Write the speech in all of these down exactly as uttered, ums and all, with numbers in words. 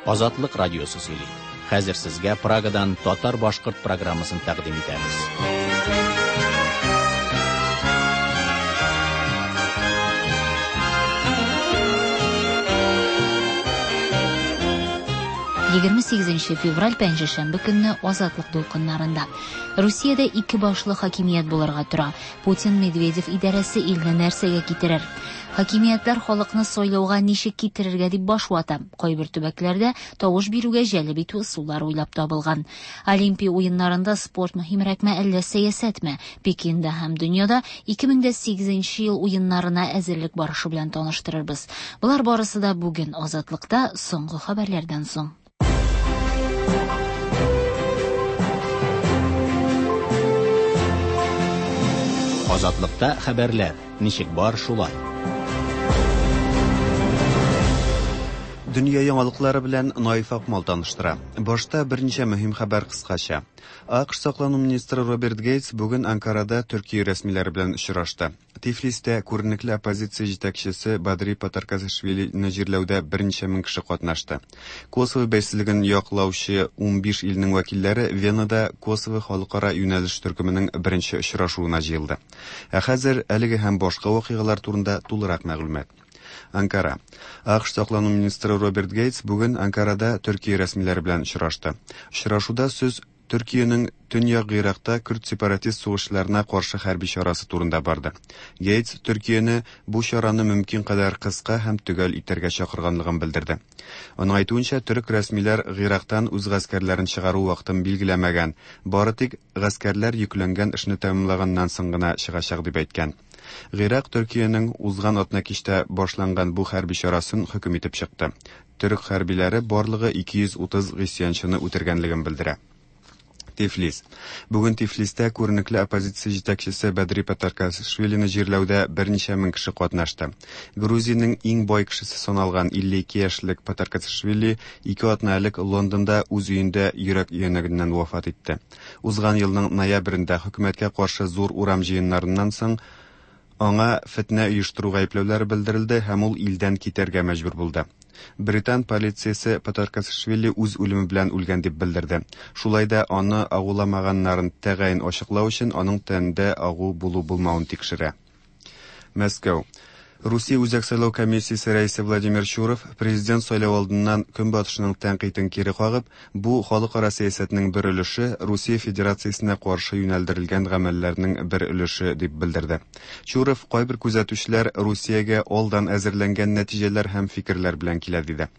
Азатлык радиосы сөйли. Хәзер сезгә Прагадан татар-башкорт программасын тәкъдим итәбез. егерме сигезенче февраль пәнҗешәмбе көнне Азатлык дулкыннарында. Русиядә ике башлы хакимият булырга тора. Путин Медведев идарәсе илне нәрсәгә китерер? Хакимиятләр халыкны сайлауга ничек китерергә дип баш вата. Кайбер төбәкләрдә тавыш бирүгә җәлеп итү ысуллары уйлап табылган. Олимпия уеннарында спорт мөһимрәкме, әллә сәясәтме? Пекинда һәм дөньяда ике мең дә сигезенче ел уеннарына әзерлек барышы белән таныштырырбыз. Болар барысы да бүген Азатлыкта соңгы хәбәрләрдән соң. Азатлыкта хәбәрләр ничек бар шулай. Дөнья яңалыклары белән Наиф Акмал таныштыра. Башта берничә мөһим хәбәр кыскача. АКШ саклану министры Роберт Гейтс бүген Анкарада Төркия рәсмиләре белән очрашты. Тифлистә күренекле оппозиция җитәкчесе Бадри Патаркашвилины җирләүдә берничә мең кеше катнашты. Косово бәйсезлеген яклаучы унбиш илнең вәкилләре Венада Косово халыкара юнәлеш төркеменең беренче очрашуына җыелды. Ә хәзер әлеге һәм башка вакыйгалар турында тулырак мәгълүмат. Анкара. АКШ саклану министры Роберт Гейтс бүген Анкарада Төркия рәсмиләре белән очрашты. Очрашуда сүз Төркиянең Төньяк Гыйракта көрд сепаратист сугышчыларына каршы хәрби чарасы турында барды. Гейтс Төркияне бу чараны мөмкин кадәр кыска һәм төгәл итәргә чакырганлыгын белдерде. Аның әйтүенчә, төрек рәсмиләр Гыйрактан үз гаскәрләрен чыгару вакытын билгеләмәгән, бары тик гаскәрләр йөкләнгән эшне тәмамлаганнан соң гына чыгачак дип әйткән. Гыйрак Төркиянең узган атна кичтә башланган бу хәрби чарасын хөкем итеп чыкты. Төрек хәрбиләре барлыгы ике йөз утыз гыйсьянчыны үтергәнлеген белдерә. Тифлис. Бүген Тифлистә күренекле оппозиция җитәкчесе Бадри Патаркашвилины җирләүдә берничә мең кеше катнашты. Грузиянең иң бай кешесе саналган илле ике яшьлек Патаркашвили ике атна элек Лондонда үз өендә йөрәк өянәгеннән вафат итте. Узган елның ноябрендә хөкүмәткә каршы зур урам җыеннарыннан соң аңа фетнә оештыру гаепләүләре белдерелде һәм ул илдән китәргә мәҗбүр булды. Британ полициясе Патаркашвили үз үлеме белән үлгән дип белдерде. Шулай да аны агуламаганнарын тәгаен ачыклау өчен аның тәнендә агу булу-булмавын тикшерә. Мәскәү. Русия Үзәк сайлау комиссиясе рәисе Владимир Чуров президент сайлау алдыннан Көнбатышның тәнкыйтен кире кагып, бу халыкара сәясәтнең бер өлеше, Русия Федерациясенә каршы юнәлдерелгән гамәлләрнең бер өлеше дип белдерде. Чуров кайбер күзәтүчеләр Русиягә алдан әзерләнгән нәтиҗәләр һәм фикерләр белән килә диде.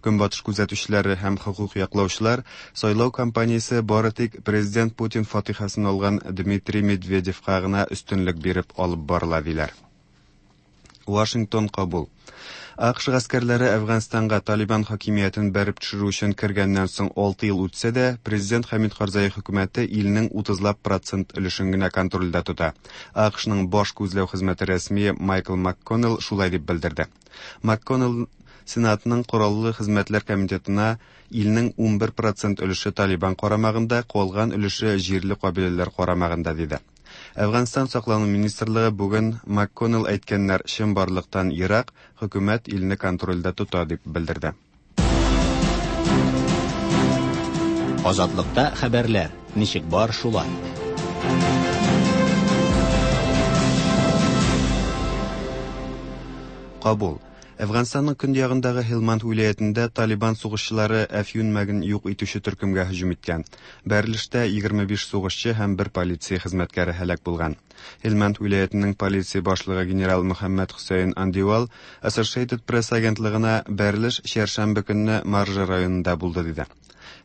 Көнбатыш күзәтүчеләре һәм хокук яклаучылар сайлау кампаниясе бары тик президент Путин фатихасын алган Дмитрий Медведевка гына өстенлек биреп алып барыла диләр. Вашингтон Кабул. АКШ гаскәрләре Әфганстанга Талибан хакимиятен бәреп төшерү өчен кергәннән соң алты ел үтсә дә, президент Хәмид Карзай хөкүмәте илнең утызлап процент өлешен генә контрольдә тота. АКШның баш күзләү хезмәте рәсмие Майкл МакКоннелл шулай дип белдерде. МакКоннелл Сенатның Кораллы хезмәтләр комитетына илнең унбер процент өлеше Талибан карамагында, калган өлеше җирле кабиләләр карамагында диде. Әфганстан саклану министрлыгы бүген МакКоннелл әйткәннәр чынбарлыктан ерак, хөкүмәт илне контрольдә тота дип белдерде. Азатлыкта хәбәрләр ничек бар шулай. Кабул. Әфганстанның көньягындагы Һилманд вилаятендә Талибан сугышчылары әфьюн мәген юк итүче төркемгә һөҗүм иткән. Бәрелештә егерме биш сугышчы һәм бер полиция хезмәткәре һәлак булган. Һилманд вилаятының полиция башлыгы генерал Мөхәммәд Хөсәйн Андивал Associated Press агентлыгына бәрелеш чәршәмбе көнне Маржа районында булды диде.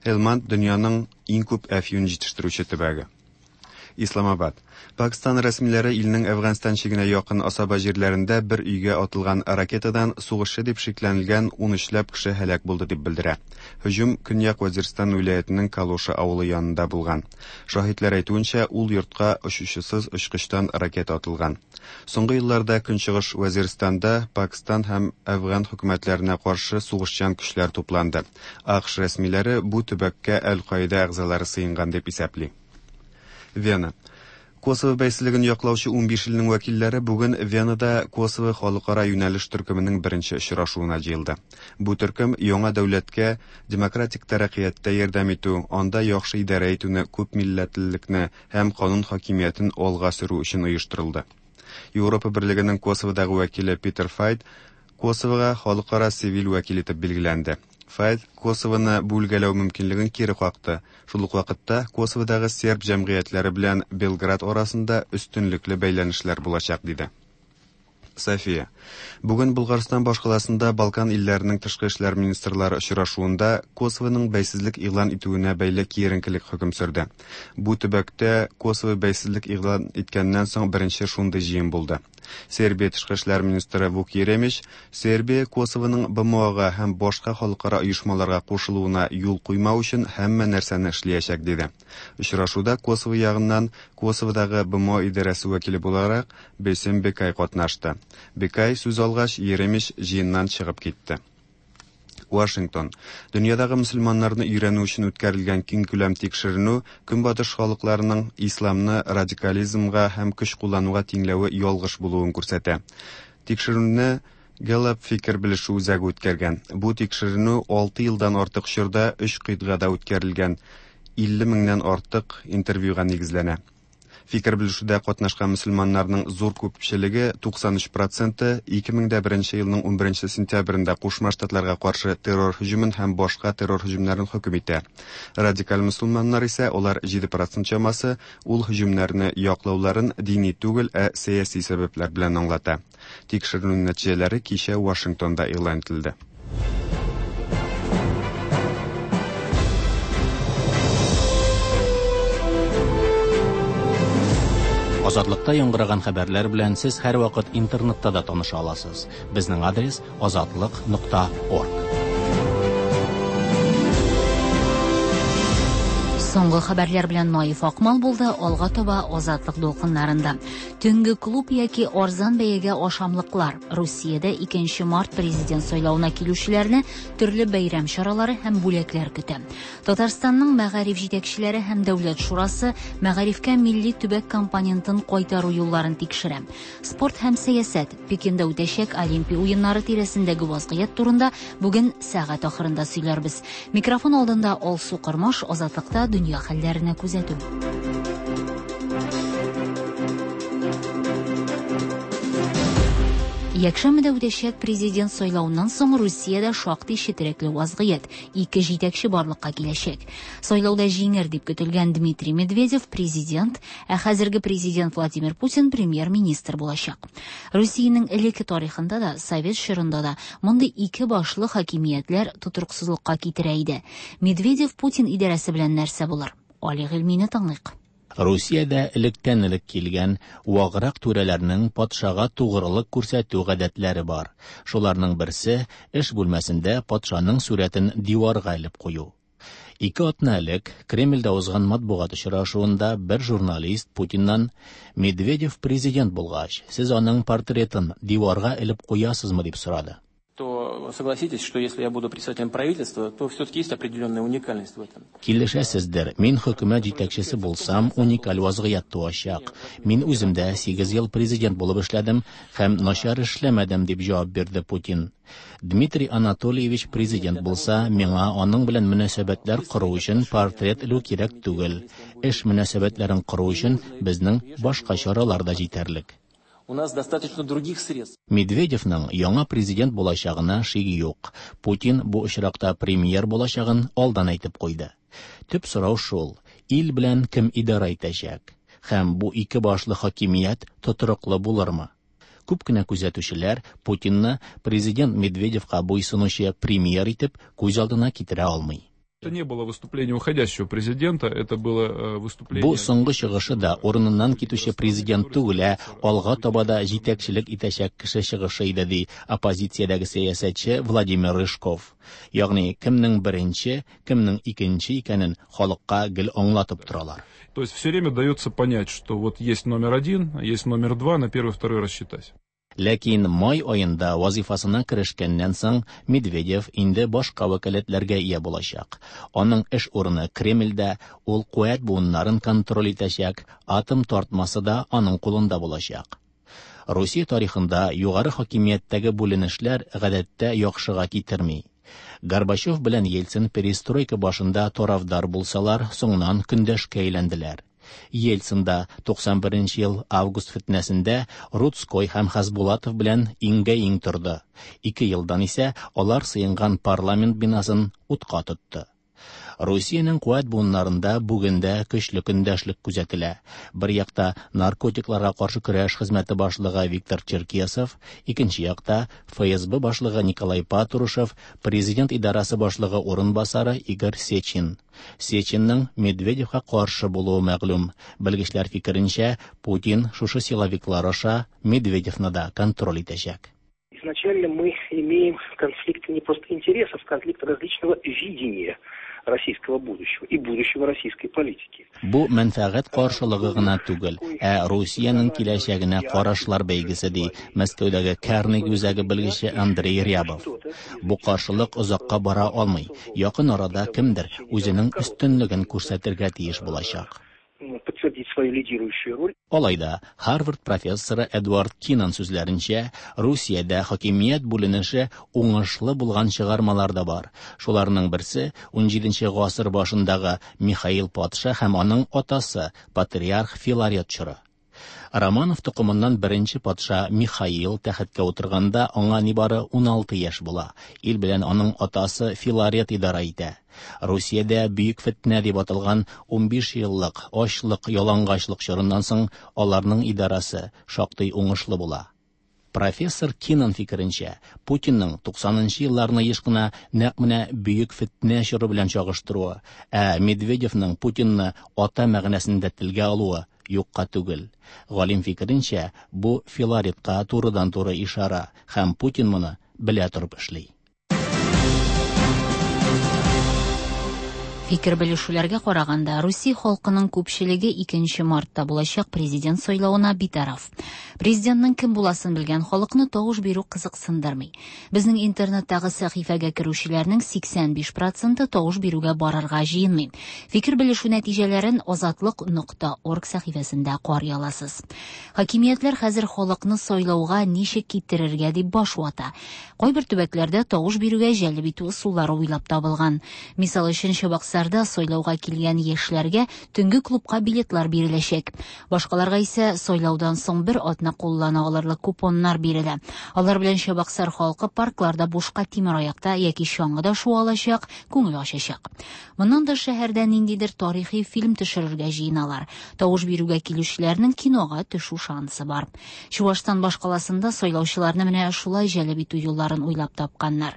Һилманд дөньяның иң күп әфьюн җитештерүче төбәге. Исламабад. Пакистан рәсмиләре илнең Әфганстан чигенә якын асаба җирләрендә бер өйгә атылган ракетадан сугышчы дип шикләнелгән ун өчләп кеше һәлак булды дип белдерә. Һөҗүм Көньяк Вазирстан вилаятының Калоша авылы янында булган. Шаһитлар әйтүенчә, ул йортка очучысыз очкычтан ракета атылган. Соңгы елларда Көнчыгыш Вазирстанда Пакистан һәм Әфган хөкүмәтләренә каршы сугышчан көчләр тупланды. АКШ рәсмиләре бу төбәккә Әл-Каида әгъзалары сыенган дип исәпли. Вена. Косово бәйсезлеген яклаучы унбиш илнең вәкилләре бүген Венада Косово халыкара юнәлеш төркеменең беренче очрашуына җыелды. Бу төркем яңа дәүләткә демократик тәрәккыятьтә ярдәм итү, анда яхшы идарә итүне, күп милләтлелекне һәм канун хакимиятен алга сөрү өчен оештырылды. Европа Берлегенең Косоводагы вәкиле Питер Файт Косовога халыкара цивиль вәкил итеп билгеләнде. Файт Косовоны бүлгәләү мөмкинлеген кире какты. Шул ук вакытта Косоводагы серб җәмгыятьләре белән Белград арасында өстенлекле бәйләнешләр булачак, диде. София. Бүген Булгарстан башкаласында Балкан илләренең тышкы эшләр министрлары очрашуында Косовоның бәйсезлек игълан итүенә бәйле киеренкелек хөкем сөрде. Бу төбәктә Косово бәйсезлек игълан иткәннән соң беренче шундый җыен булды. Сербия тышкы эшләр министры Вук Еремич Сербия Косовоның Б М О-га һәм башка халыкара оешмаларга кушылуына юл куймау өчен һәммә нәрсәне эшләячәк, диде. Очрашуда Косово ягыннан Косоводагы Б М О идарәсе вәкиле буларак Бесем Бекай катнашты. Бекай сүз алгач, Еремич җыеннан чыгып китте. Вашингтон. Дөньядагы мөселманнарны өйрәнү өчен үткәрелгән киң күләм тикшеренү Көнбатыш халыкларының исламны радикализмга һәм көч куллануга тиңләве ялгыш булуын күрсәтә. Тикшеренүне Gallup фикер белешү үзәге үткәргән. Бу тикшеренү алты елдан артык чорда өч кыйтгада үткәрелгән илле меңнән артык интервьюга нигезләнә. Фикер белешүдә катнашкан мөселманнарның зур күпчелеге туксан өч проценты ике мең дә беренче елның унберенче сентябрендә Кушма Штатларга каршы террор һөҗүмен һәм башка террор һөҗүмнәрен хөкем итә. Радикаль мөселманнар исә алар җиде процент чамасы ул һөҗүмнәрне яклауларын дини түгел, ә сәяси сәбәпләр белән аңлата. Тикшеренү нәтиҗәләре кичә Вашингтонда игълан ителде. Азатлыкта яңгыраган хәбәрләр белән сез һәрвакыт интернетта да таныша аласыз. Безнең адрес азатлык нокта орг. Соңгы хәбәрләр белән Наиф Акмал булды. Алга таба Азатлык дулкыннарында. Төнге клуб яки арзан бәягә ашамлыклар. Русиядә икенче март президент сайлавына килүчеләрне төрле бәйрәм чаралары һәм бүләкләр көтә. Татарстанның мәгариф җитәкчеләре һәм Дәүләт шурасы мәгарифкә милли төбәк компонентын кайтару юлларын тикшерә. Спорт һәм сәясәт. Пекинда үтәчәк Олимпия уеннары тирәсендәге вазгыять турында бүген сәгать ахырында сөйләрбез. Микрофон алдында Алсу Кормаш, Азатлыкта дөнья хәлләренә күзәтү. Якшәмбедә үтәчәк президент сайлавыннан соң Русиядә шактый четерекле вазгыять, ике җитәкче барлыкка киләчәк. Сайлауда җиңер дип көтелгән Дмитрий Медведев президент, ә хәзерге президент Владимир Путин премьер-министр булачак. Русиянең элекке тарихында да, совет чорында да мондый ике башлы хакимиятләр тотрыксызлыкка китерә иде. Медведев Путин идарәсе белән нәрсә булыр? Али Гыйльмине тыңлыйк. Русиядә электән элек килгән ваграк түрәләрнең патшага тугрылык күрсәтү гадәтләре бар. Шуларның берсе эш бүлмәсендә патшаның сурәтен диварга элеп кую. Ике атна элек Кремльдә узган матбугат очрашуында бер журналист Путиннан Медведев президент булгач, сез аның портретын диварга элеп куясызмы дип сорады. То согласитесь, что если я буду председателем правительства, то все-таки есть определенная уникальность в этом. Килешәсездер, мин хөкүмәт җитәкчесе булсам, уникаль вазгыять туачак. Мин үзем дә сигез ел президент булып эшләдем һәм начар эшләмәдем, дип җавап бирде Путин. Дмитрий Анатольевич президент булса, миңа аның белән мөнәсәбәтләр кору өчен портрет элү кирәк түгел. Эш мөнәсәбәтләрен кору өчен безнең башка чаралар да җитәрлек. У нас достаточно других средств. Медведевның яңа президент булачагына шик юк. Путин бу очракта премьер булачагын алдан әйтеп куйды. Төп сорау шул: ил белән кем идарә итәчәк? Һәм бу ике башлы хакимият тотрыклы булырмы? Күп кенә күзәтүчеләр Путинны президент Медведевка буйсынучы премьер итеп күз алдына китерә алмый. Это не было выступление уходящего президента, это было, э, выступление... Бу соңгы чыгышы да урыныннан китүче президент түгел, ә алга таба да җитәкчелек итәчәк кеше чыгышы иде, ди оппозициядәге сәясәтче Владимир Рыжков. Ягъни кемнең беренче, кемнең икенче икәнен халыкка гел аңлатып торалар. То есть все время дается понять, что вот есть номер один, есть номер два, на первый, второй рассчитать. Ләкин май аенда вазифасына керешкәннән соң Медведев инде башка вәкаләтләргә ия булачак. Аның эш урыны Кремльдә, ул куәт буыннарын контроль итәчәк, атом тартмасы да аның кулында булачак. Русия тарихында югары хакимияттәге бүленешләр гадәттә яхшыга китерми. Горбачев белән Ельцин перестройка башында тарафдар булсалар, соңыннан көндәшкә әйләнделәр. Ельцин да туксан беренче ел август фетнәсендә Руцкой һәм Хасбулатов белән иңгә-иң торды. Ике елдан исә алар сыенган парламент бинасын утка тотты. Русиянең куәт буыннарында бүген дә көчле көндәшлек күзәтелә. Бер якта наркотикларга каршы көрәш хезмәте башлыгы Виктор Черкесов, икенче якта Эф Эс Бэ башлыгы Николай Патрушев, президент идарасы башлыгы урынбасары Игорь Сечин. Сечинның Медведевка каршы булуы мәгълүм. Белгечләр фикеренчә, Путин шушы силовиклар аша Медведевны да контроль итәчәк. Изначально мы имеем конфликт не просто интересов, конфликт различного видения российского будущего и будущего российской политики. Бу мәнфәгать каршылыгы гына түгел, ә Русиянең киләчәгенә карашлар бәйгесе, ди Мәскәүдәге Карнеги үзәге белгече Андрей Рябов. Бу каршылык озакка бара алмый. Якын арада кемдер үзенең өстенлеген күрсәтергә тиеш булачак. Подтвердить свою лидирующую роль. Алай да, Харвард профессоры Эдвард Кинан сүзләренчә, Русиядә хакимият бүленеше уңышлы булган чыгармалар да бар. Шуларның берсе ун җиденче гасыр башындагы Михаил патша һәм аның атасы патриарх Филарет чоры. Романов токымыннан беренче патша Михаил тәхеткә утырганда аңа нибары ун алты яшь була. Ил белән аның атасы Филарет идара итә. Русиядә бөек фетнә дип аталган ун биш еллык ачлык, ялангачлык чорыннан соң аларның идарасы шактый уңышлы була. Профессор Кинан фикеренчә, Путинның туксанынчы елларны еш кына нәкъ менә бөек фетнә чоры белән чагыштыруы, ә Медведевның Путинны ата мәгънәсендә телгә алуы юкка түгел. Галим фикеренчә, бу Филаретка турыдан-туры ишара һәм Путин моны белә торып эшли. Фикер белешүләргә караганда, Русия халкының күпчелеге икенче мартта булачак президент сайлавына битараф. Президентның кем буласын белгән халыкны тавыш бирү кызыксындырмый. Безнең интернеттагы сәхифәгә керүчеләрнең сиксән биш проценты тавыш бирүгә барырга җыенмый. Фикер белешү нәтиҗәләрен азатлык нокта орг сәхифәсендә карый аласыз. Хакимиятләр хәзер халыкны сайлауга ничек китерергә дип баш вата. Кайбер төбәкләрдә тавыш бирүгә җәлеп итү ысуллары уйлап табылган. Мисал өчен, Чабаксарда сайлауга килгән яшьләргә төнге клубка билетлар биреләчәк. Башкаларга исә сайлаудан соң бер атна куллана алырлык купоннар бирелә. Алар белән Чабаксар халкы паркларда бушка тимераякта яки чаңгыда шуа алачак, күңел ачачак. Моннан тыш шәһәрдә ниндидер тарихи фильм төшерергә җыеналар. Тавыш бирүгә килүчеләрнең кинога төшү шансы бар. Чувашстан башкаласында сайлаучыларны менә шулай җәлеп итү юлларын уйлап тапканнар.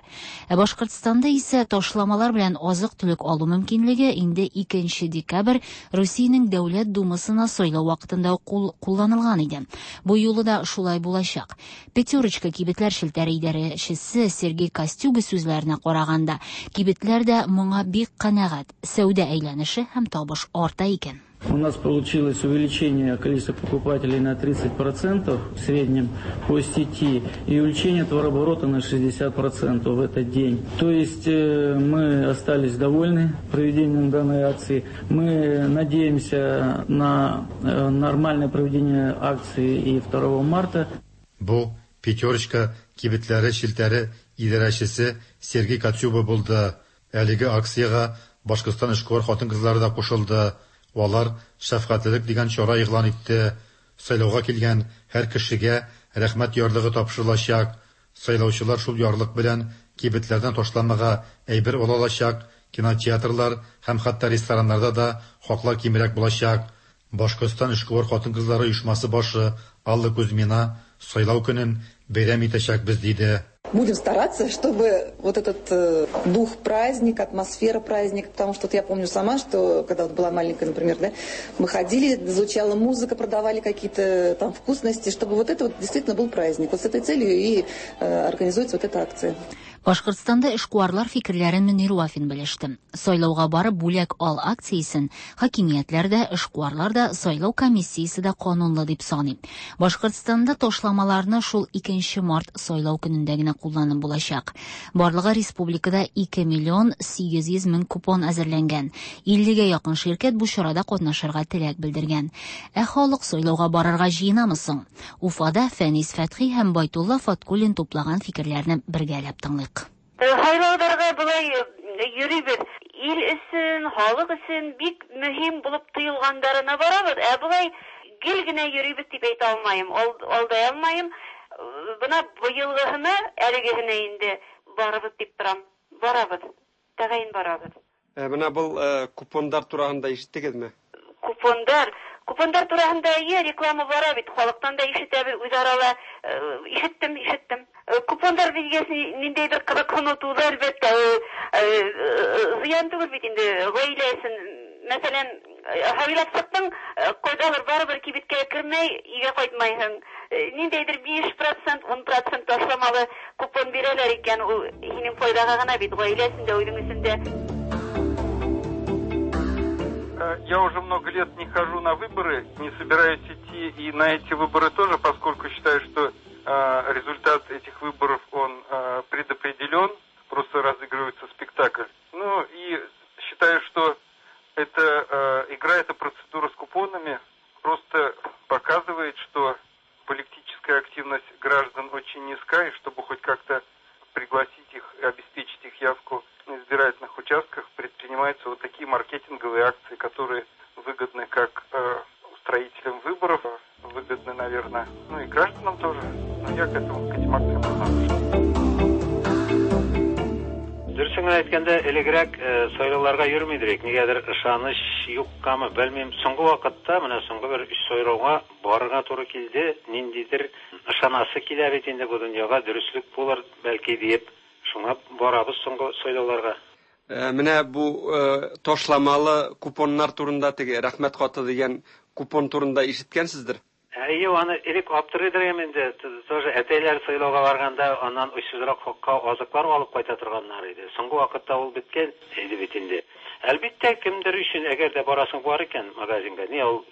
Ә Башкортстанда исә ташламалар белән азык-төлек алу мөмкинлеге инде икенче декабрь Русиянең Дәүләт Думасына сайлау вакытында кул-, кулланылган иде. Бу юлы да шулай булачак. Пятерочка кибетләр челтәре идарәчесе Сергей Костюга сүзләренә караганда, кибетләр дә моңа бик канәгать. Сәүдә әйләнеше һәм табыш арта икән. У нас получилось увеличение количества покупателей на тридцать процентов в среднем по сети и увеличение товарооборота на шестьдесят процентов в этот день. То есть, э, мы остались довольны проведением данной акции. Мы надеемся на, э, нормальное проведение акции и второго марта. Бу Пятерочка кибетләре челтәре идарәчесе Сергей Кацюба булды. Әлеге акциягә Башкортстан эшкуар хатын-кызлары да кушылды. Алар шәфкатьлелек дигән чара игълан итте. Сайлауга килгән һәр кешегә рәхмәт ярлыгы тапшырылачак. Сайлаучылар шул ярлык белән кибетләрдән ташламага әйбер ала алачак, кинотеатрлар һәм хәтта рестораннарда да хаклар кимрәк булачак. Башкортстан эшкуар хатын-кызлары оешмасы башы Алла Кузьмина сайлау көнен бәйрәм итәчәкбез диде. Будем стараться, чтобы вот этот, э, дух праздника, атмосфера праздника, потому что вот я помню сама, что когда вот была маленькая, например, да, мы ходили, звучала музыка, продавали какие-то там вкусности, чтобы вот это вот действительно был праздник. Вот с этой целью и, э, организуется вот эта акция. Башкортстанда эшкуарлар фикерләрен Мөнир Вафин белеште. Сайлауга барып бүләк ал акциясен хакимиятләр дә, эшкуарлар да, сайлау комиссиясе дә канунлы дип саный. Башкортстанда ташламаларны шул икенче март сайлау көнендә генә кулланып булачак. Барлыгы республикада ике миллион сигез йөз мең купон әзерләнгән. иллегә якын ширкәт бу чарада катнашырга теләк белдергән. Ә халык сайлауга барырга җыенамы соң? Уфада Фәнис Фәтхи һәм Байтулла Фаткуллин туплаган фикерләрне бергәләп тыңлыйк. Һайлауларга болай йөрибез. Ил өчен, халык өчен бик мөһим булып тоелгандарына барабыз. Ә болай гел генә йөрибез дип әйтә алмыйм, алдай алмыйм. Бына быелгыһына, әлегеһенә инде барабыз дип торам. Барабыз. Тәгаен барабыз. Ә менә был купондар турында ишеттегезме? Купондар Купондар тураһында әйе, реклама бара бит, халыктан да ишетәбез, үзара ишеттем, ишеттем. Купондар дигән ниндәйдер кызыксыну туды, әлбәттә, зыян түгел бит инде гаилә өчен. Мәсәлән, һайлап чыктың, кайдадыр барыбер кибеткә кермәй, өйгә кайтмайсың. Ниндәйдер биш процент, ун процент ташламалы купон бирәләр икән, ул һинең файдага гына бит, гаилә өчен дә, үзең өчен дә. Я уже много лет не хожу на выборы, не собираюсь идти и на эти выборы тоже, поскольку считаю, что э, результат этих выборов, он э, предопределен, просто разыгрывается спектакль. Ну и считаю, что эта э, игра, эта процедура с купонами просто показывает, что политическая активность граждан очень низка, и чтобы хоть как-то пригласить их и обеспечить их явку на избирательных участках, предпринимаются вот такие маркетинговые акции, которые выгодны как э, устроителям выборов, выгодны, наверное, ну и гражданам тоже. Но я к этому, к этим акциям отношусь. Дөресен генә әйткәндә, элегрәк сайлауларга йөрми идек. Нигәдер ышаныч юккамы, белмим. Соңгы вакытта, менә соңгы бер өч сайлауга барырга туры килде. Ниндидер ышанасы килә бит инде бу дөньяга, дөреслек булыр бәлки диеп. Шуңа барабыз соңгы сайлауларга. Менә бу ташламалы купоннар турында, теге рәхмәт хаты дигән купон турында ишеткәнсездер? Әйе, аны элек аптырыйдыр инде. Тоже әтәйләр сайлауга барганда аннан очсызрак хакка азыклар алып кайта торганнар иде. Соңгы вакытта ул беткән иде бит инде. Әлбәттә, кемдер өчен, әгәр дә барасың бар икән магазинга, ни ул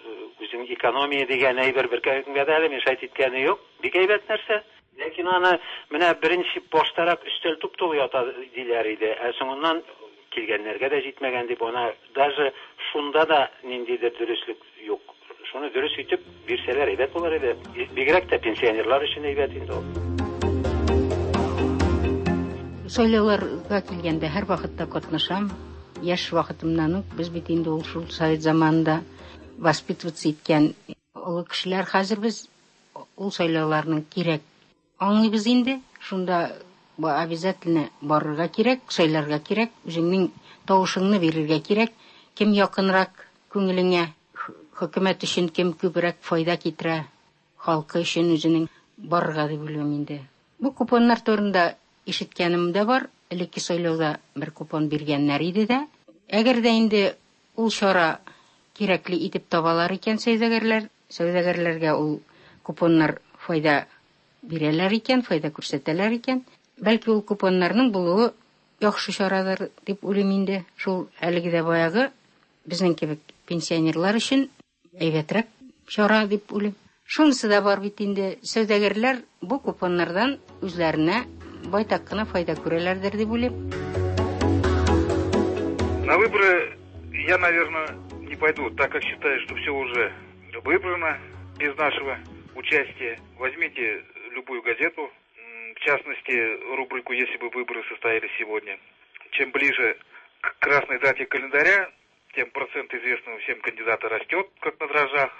үзең экономия дигән әйбер беркемгә дә әле мешать иткәне юк. Бик әйбәт нәрсә. Ләкин аны менә беренче баштарак өстәл туп-тулы ята диләр иде. Ә соңыннан килгәннәргә дә җитмәгән дип, ана даже шунда да ниндидер дөреслек юк. Шуны дөрес итеп бирсәләр әйбәт булыр иде. Бигрәк тә пенсионерлар өчен әйбәт инде ул. Сайлауларга килгәндә һәр вакытта катнашам. Яшь вакытымнан ук без бит инде ул шул совет заманында воспитываться иткән олы кешеләр. Хәзер без ул сайлауларның кирәк аңлыйбыз инде. Шунда обязательно барырга кирәк, сайларга кирәк, үзеңнең тавышыңны бирергә кирәк. Кем якынрак күңелеңә, хөкүмәт өчен кем күбрәк файда китерә, халкы өчен үзенең барырга дип уйлыйм инде. Бу купоннар турында ишеткәнем дә бар. Элекке сайлауда бер купон биргәннәр иде дә. Әгәр дә инде ул чара кирәкле итеп табалар икән сәүдәгәрләр, сәүдәгәрләргә ул купоннар файда бирәләр икән, файда күрсәтәләр икән, бәлки ул купоннарның булуы яхшы чарадыр дип уйлыйм инде. Шул әлеге дә баягы безнең кебек пенсионерлар өчен әйбәтрәк чара дип уйлыйм. Шунысы да бар бит инде, сәүдәгәрләр бу купоннардан үзләренә байтак кына файда күрәләрдер дип уйлыйм. На выборы я, наверное, не пойду, так как считаю, что все уже выбрано без нашего участия. Возьмите любую газету, в частности, рубрику «Если бы выборы состоялись сегодня». Чем ближе к красной дате календаря, тем процент известного всем кандидата растет, как на дрожжах.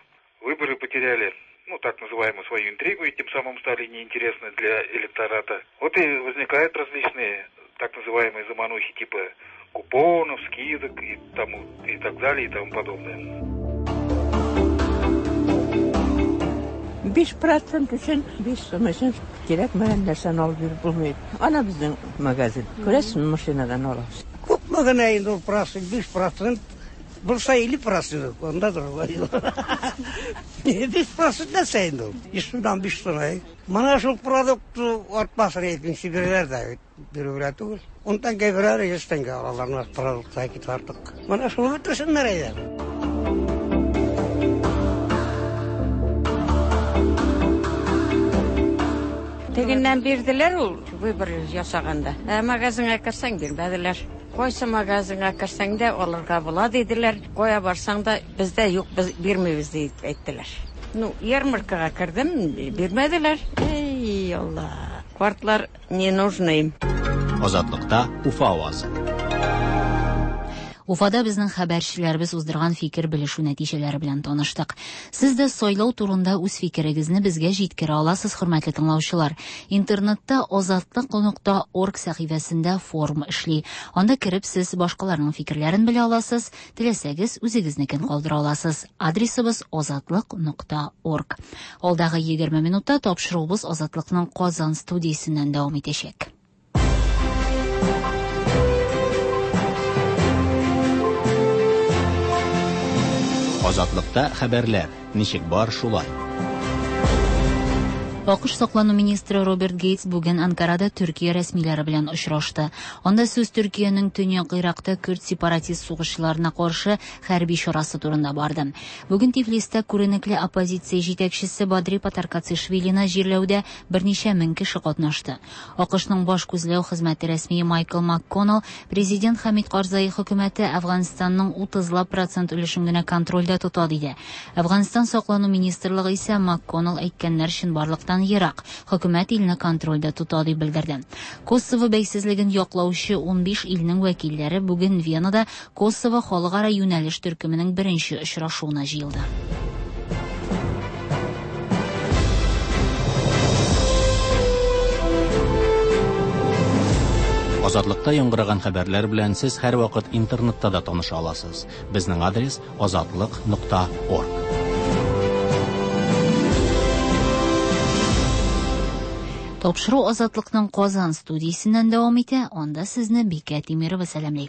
Выборы потеряли, ну, так называемую свою интригу, и тем самым стали неинтересны для электората. Вот и возникают различные так называемые заманухи типа купонов, скидок и тому, и так далее, и тому подобное. биш процент өчен, биш сум өчен кирәкмәгән нәрсәне алып йөреп булмый. Ана безнең магазин. Күрәсезме, машинадан алабыз. Күпме генә инде ул процент, биш процент Булса илле процент, анда другой. Биш процент нәрсә инде ул? Йөз сумнан биш сум. Менә шул продукт артмасын әйтмим, бирәләр дә, бирүгә түгел. Ун тәңкә бирәләр, йөз тәңкә алалар, продуктка китеп артык. Менә шуны бетерсеннәр әйдә. Тегеннән бирделәр ул выбор ясаганда. Ә магазинга керсәң бирмәделәр. Кайсы магазинга керсәң дә алырга була диделәр. Кая барсаң да бездә юк, без бирмибез дип әйттеләр. Ну, ярмаркага кердем, бирмәделәр. Эй, Алла. Картлар не нужны им. Азатлыкта Уфа авазы. Уфада безнең хәбәрчеләребез уздырган фикер белешү нәтиҗәләре белән таныштык. Сез дә сайлау турында үз фикерегезне безгә җиткерә аласыз, хөрмәтле тыңлаучылар. Интернетта азатлык нокта орг сәхифәсендә форм эшли. Анда кереп сез башкаларның фикерләрен белә аласыз, теләсәгез үзегезнекен калдыра аласыз. Адресыбыз азатлык нокта орг. Алдагы егерме минутта тапшыруыбыз Азатлыкның Казан студиясеннән дәвам итәчәк. Азатлыкта хәбәрләр ничек бар шулай. АКШ саклану министры Роберт Гейтс бүген Анкарада Төркия рәсмиләре белән очрашты. Анда сүз Төркиянең Төньяк Иракта көрд сепаратист сугышчыларына каршы хәрби чарасы турында барды. Бүген Тифлистә күренекле оппозиция җитәкчесе Бадри Патаркацишвилина җирләүдә берничә мең кеше катнашты. АКШның баш күзләү хезмәте рәсмие Майкл МакКоннелл президент Хамид Карзай хөкүмәте Әфганстанның утызлап процент өлешен генә контрольдә тота диде. Әфганстан саклану министрлыгы исә МакКоннелл әйткәннәр чынбарлыктан ерак, хөкүмәт илне контрольдә тота дип белдерде. Косово бәйсезлеген яклаучы унбиш илнең вәкилләре бүген Венада Косово халыкара юнәлеш төркеменең беренче очрашуына җыелды. Азатлыкта яңгыраган хәбәрләр белән сез һәрвакыт интернетта да таныша аласыз. Безнең адрес азатлык нокта орг. Тапшыру Азатлыкның Казан студиясеннән дәвам итә. Анда сезне Бикә Тимирова сәламли.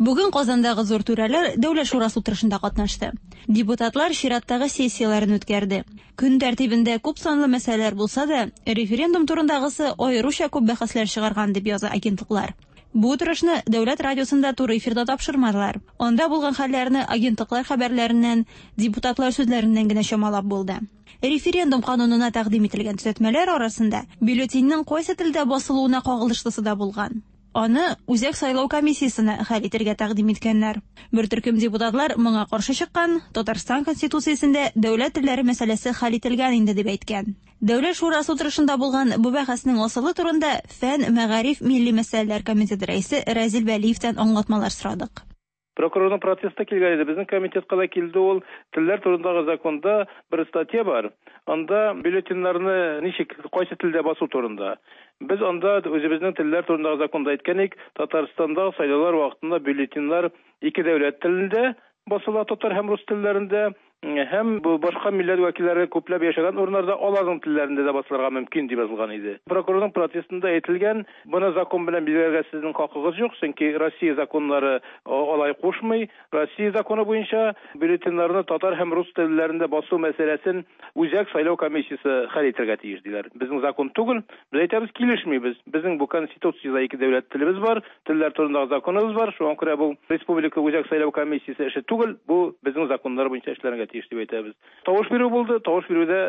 Бүген Казандагы зур түрәләр Дәүләт шурасы утырышында катнашты. Депутатлар чираттагы сессияләрен үткәрде. Көн тәртибендә күп санлы мәсьәләләр булса да, референдум турындагысы аеруча күп бәхәсләр чыгарган дип яза агентлыклар. Бу утырышны Дәүләт радиосында туры эфирда тапшырмадылар. Анда булган хәлләрне агентлыклар хәбәрләреннән, депутатлар сүзләреннән генә чамалап булды. Референдум канунына тәкъдим ителгән төзәтмәләр арасында бюллетеньнең кайсы телдә басылуына кагылышлысы да булган. Аны Үзәк сайлау комиссиясенә хәл итәргә тәкъдим иткәннәр. Бер төркем депутатлар моңа каршы чыккан, Татарстан Конституциясендә дәүләт телләре мәсьәләсе хәл ителгән инде дип әйткән. Дәүләт шурасы утырышында булган бу бәхәснең асылы турында Фән, мәгариф, милли мәсьәләләр комитеты рәисе Разил Вәлиевтән аңлатмалар сорадык. Прокурорның протесты килгән иде. Безнең комитетка да килде ул. Телләр турындагы законда бер статья бар. Анда бюллетеньнәрне ничек, кайсы телдә басу турында. Без анда үзебезнең телләр турындагы законда әйткән идек, Татарстанда сайлаулар вакытында бюллетеньнәр ике дәүләт телендә басыла, татар һәм рус телләрендә, һәм бу башка милләт вәкилләре күпләп яшәгән урыннарда аларның телләрендә дә басылырга мөмкин дип язылган иде. Прокурорның протестында әйтелгән, моны закон белән билгеләргә сезнең хакыгыз юк, чөнки Россия законнары алай кушмый. Россия законы буенча бюллетеньнәрне татар һәм рус телләрендә басу мәсьәләсен Үзәк сайлау комиссиясе хәл итәргә тиеш диләр. Безнең закон түгел, без әйтәбез, килешмибез. Безнең бу конституциядә ике дәүләт телебез бар, телләр турындагы законыбыз бар. Шуңа күрә бу Республика Үзәк сайлау комиссиясе эше түгел, бу безнең законнар буенча эшләргә тиеш дип әйтәбез. Тавыш бирү булды, тавыш бирүдә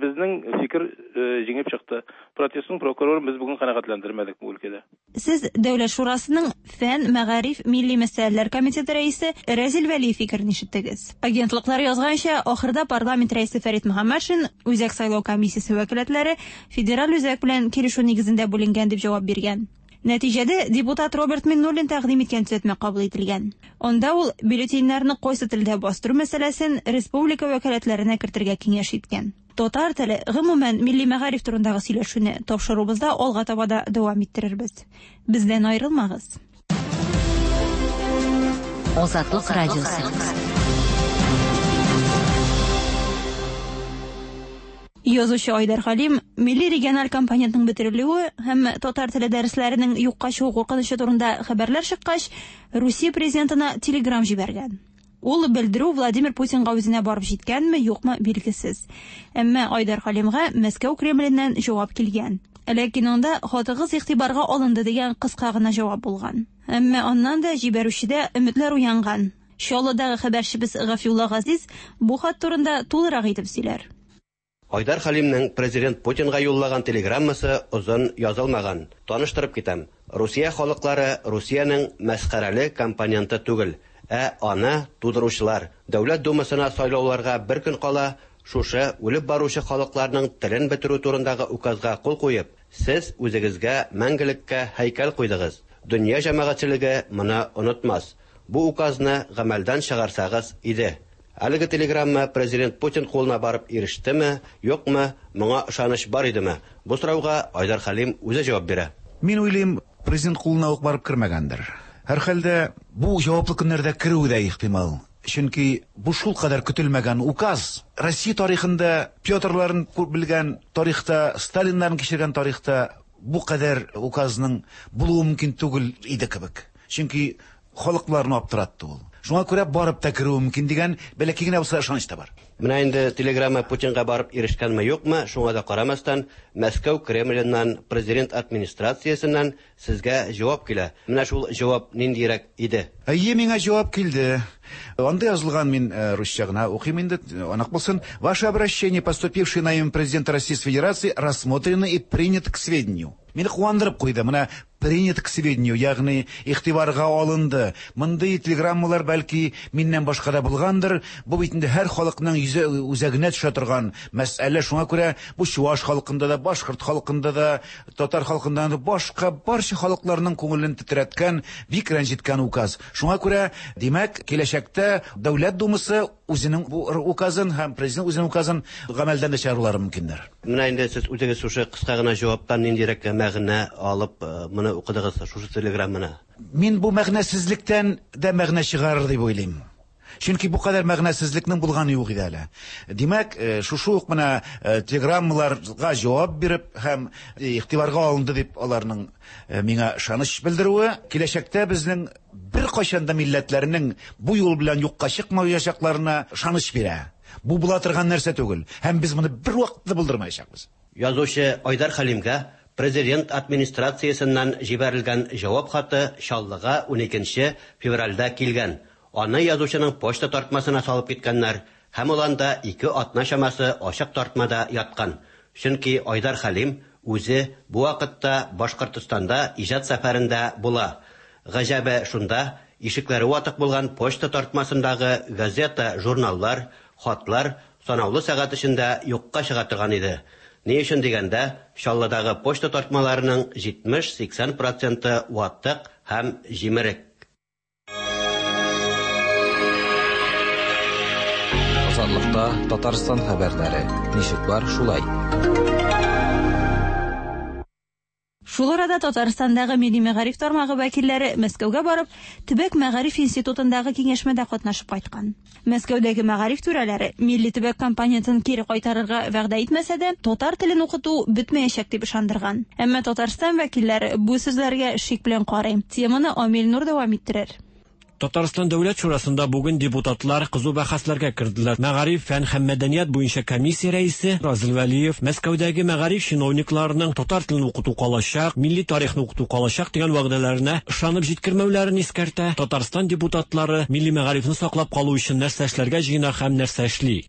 безнең фикер җиңеп чыкты. Протестның прокурорын без бүген канәгатьләндермәдек бу өлкәдә. Сез Дәүләт шурасының Фән, мәгариф, милли мәсьәләләр комитеты рәисе Разил Вәлиев фикерен ишеттегез. Агентлыклар язганча, ахырда парламент рәисе Фәрит Мөхәммәтшин Үзәк сайлау комиссиясе вәкаләтләре федераль үзәк белән килешү нигезендә бүленгән дип җавап биргән. Нәтиҗәдә депутат Роберт Миннуллин тәкъдим иткән төзәтмә кабул ителгән. Анда ул бюллетеньнәрне кайсы телдә бастыру мәсьәләсен республика вәкаләтләренә кертергә киңәш иткән. Татар теле, гомумән, милли мәгариф турындагы сөйләшүне тапшыруыбызда алга таба да дәвам иттерербез. Бездән аерылмагыз. Азатлык радиосы. Язучы Айдар Халим милли региональ компонентның бетерелүе һәм татар теле дәресләренең юкка чыгу куркынычы турында хәбәрләр чыккач, Русия президентына телеграм җибәргән. Ул белдерү Владимир Путинга үзенә барып җиткәнме, юкмы билгесез. Әмма Айдар Хәлимгә Мәскәү Кремленнән җавап килгән. Ләкин анда хатыгыз игътибарга алынды дигән кыска гына җавап булган. Әмма аннан да җибәрүчедә өметләр уянган. Чаллыдагы хәбәрчебез Гафиулла Газиз бу хат турында тулырак итеп сөйләр. Айдар Хәлимнең президент Путинга юллаган телеграммасы озын язылмаган. Таныштырып китәм. Русия халыклары Русиянең мәсхәрәле компоненты түгел, ә аны тудыручылар. Дәүләт Думасына сайлауларга бер көн кала, шушы үлеп баручы халыкларның телен бетерү турындагы указга кул куеп, сез үзегезгә мәңгелеккә һәйкәл куйдыгыз. Дөнья җәмәгатьчелеге моны онытмас. Бу указны гамәлдән чыгарсагыз иде. Әлеге телеграмма президент Путин кулына барып ирештеме, юкмы, моңа ышаныч бар идеме? Бу сорауга Айдар Хәлим үзе җавап бирә. Мин уйлыйм, президент кулына ук барып кермәгәндер. Һәрхәлдә бу җаваплы көннәрдә керүе дә ихтимал. Чөнки бу шул кадәр көтелмәгән указ. Россия тарихында Петрларын күп белгән тарихта, Сталиннарын кичергән тарихта бу кадәр указның булуы мөмкин түгел иде кебек. Чөнки халыкларны аптыратты ул. Шуңа күрә барып та керүе мөмкин дигән бәләкәй генә булса ышаныч та бар. Менә инде телеграмма Путинга барып ирешкәнме юкмы, шуңа да карамастан, Мәскәү Кремленнән, президент администрациясеннән сезгә җавап килә. Менә шул җавап ниндирәк иде? Әйе, миңа җавап килде. Анда язылган, мин русча гына укыйм инде, анык булсын. Ваше обращение, поступившее на имя президента Российской Федерации, рассмотрено и принято к сведению. Мине куандырып куйды. Менә принято к сведению, ягъни игътибарга алынды. Мондый телеграммалар бәлки миннән башка да булгандыр. Бу бит инде һәр халыкның йөзе үзәгенә төшә торган мәсьәлә. Шуңа күрә бу чуаш халкында да, башкорт халкында да, татар халкында да, башка барча халыкларның күңелен тетрәткән, бик рәнҗеткән указ. Шуңа күрә, димәк, киләчәктә Дәүләт Думасы үзенең бу указын һәм президент үзенең указын гамәлдән дә чыгарулары мөмкиндер. Менә инде сез үзегез шушы кыска гына җаваптан ниндирәк мәгънә алып моны укыдыгыз, шушы телеграмманы? Мин бу мәгънәсезлектән дә мәгънә чыгарыр дип уйлыйм. Чөнки бу кадәр мәгънәсезлекнең булганы юк иде әле. Димәк, шушы ук менә телеграммаларга җавап биреп һәм игътибарга алынды дип аларның миңа ышаныч белдерүе, киләчәктә безнең беркайчан да милләтләрнең бу юл белән юкка чыкмаячакларына ышаныч бирә. Бу була торган нәрсә түгел, һәм без моны бервакытта булдырмаячакбыз. Язучы Айдар Хәлимгә президент администрациясеннән җибәрелгән җавап хаты Чаллыга уникенче февральдә килгән. Аны язучының почта тартмасына салып киткәннәр һәм ул анда ике атна чамасы ачык тартмада яткан. Чөнки Айдар Хәлим үзе бу вакытта Башкортстанда иҗат сәфәрендә була. Гаҗәбе шунда, ишекләре ватык булган почта тартмасындагы газета, журналлар, хатлар санаулы сәгать эчендә юкка чыга торган иде. Ни өчен дигәндә, Чаллыдагы почта тартмаларының җитмеш-сиксән проценты ватык һәм җимерек. Азатлыкта Татарстан хәбәрләре. Ничек бар, шулай. Шул арада Татарстандагы милли мәгариф тармагы вәкилләре Мәскәүгә барып, Төбәк мәгариф институтындагы киңәшмәдә катнашып кайткан. Мәскәүдәге мәгариф түрәләре милли төбәк компонентын кире кайтарырга вәгъдә итмәсә дә, татар телен укыту бетмәячәк дип ышандырган. Әмма Татарстан вәкилләре бу сүзләргә шик белән карый. Теманы Амил Нур дәвам иттерер. Татарстан Дәүләт Шурасында бүген депутатлар кызу бәхәсләргә керделәр. Мәгариф, фән һәм мәдәният буенча комиссия рәисе Разил Вәлиев Мәскәүдәге мәгариф чиновникларының татар телен укыту калачак, милли тарихны укыту калачак дигән вәгъдәләренә ышанып җиткермәүләрен искәртә. Татарстан депутатлары милли мәгарифне саклап калу өчен нәрсә эшләргә җыена һәм нәрсә эшли.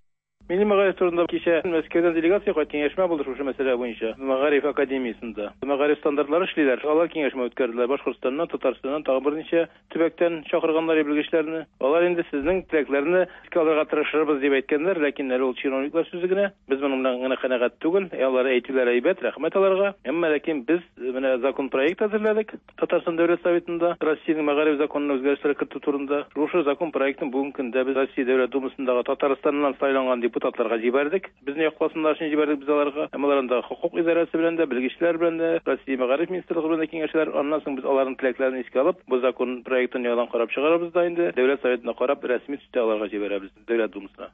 Милли мәгариф турында кичә Мәскәүдән делегация кайт киңәшмә булды шушы мәсьәлә буенча. Мәгариф академиясендә. Мәгариф стандартлары эшлиләр. Алар киңәшмә үткәрделәр. Башкортстаннан, Татарстаннан тагы берничә төбәктән чакырганнар белгечләрне. Алар инде сезнең теләкләрне искә алырга тырышырбыз дип әйткәннәр, ләкин әле ул чиновниклар сүзе генә. Без моның белән генә канәгать түгел. Алар әйтүләре әйбәт, рәхмәт аларга. Әмма ләкин без менә закон проект әзерләдек. Татарстан Дәүләт Советында Россиянең мәгариф законына үзгәрешләр кертү турында. Шушы закон проектын бүгенге көндә без Россия Дәүләт Думасындагы Татарстаннан сайланган депутатларга җибәрдек. Безне якласыннар өчен җибәрдек без аларга. Әмма алар анда хукук идарәсе белән дә, белгечләр белән дә, Россия мәгариф министрлыгы белән дә киңәшәләр. Аннан соң без аларның теләкләрен искә алып, бу закон проектын яңадан карап чыгарабыз да инде Дәүләт Советына карап рәсми төстә аларга җибәрәбез Дәүләт Думасына.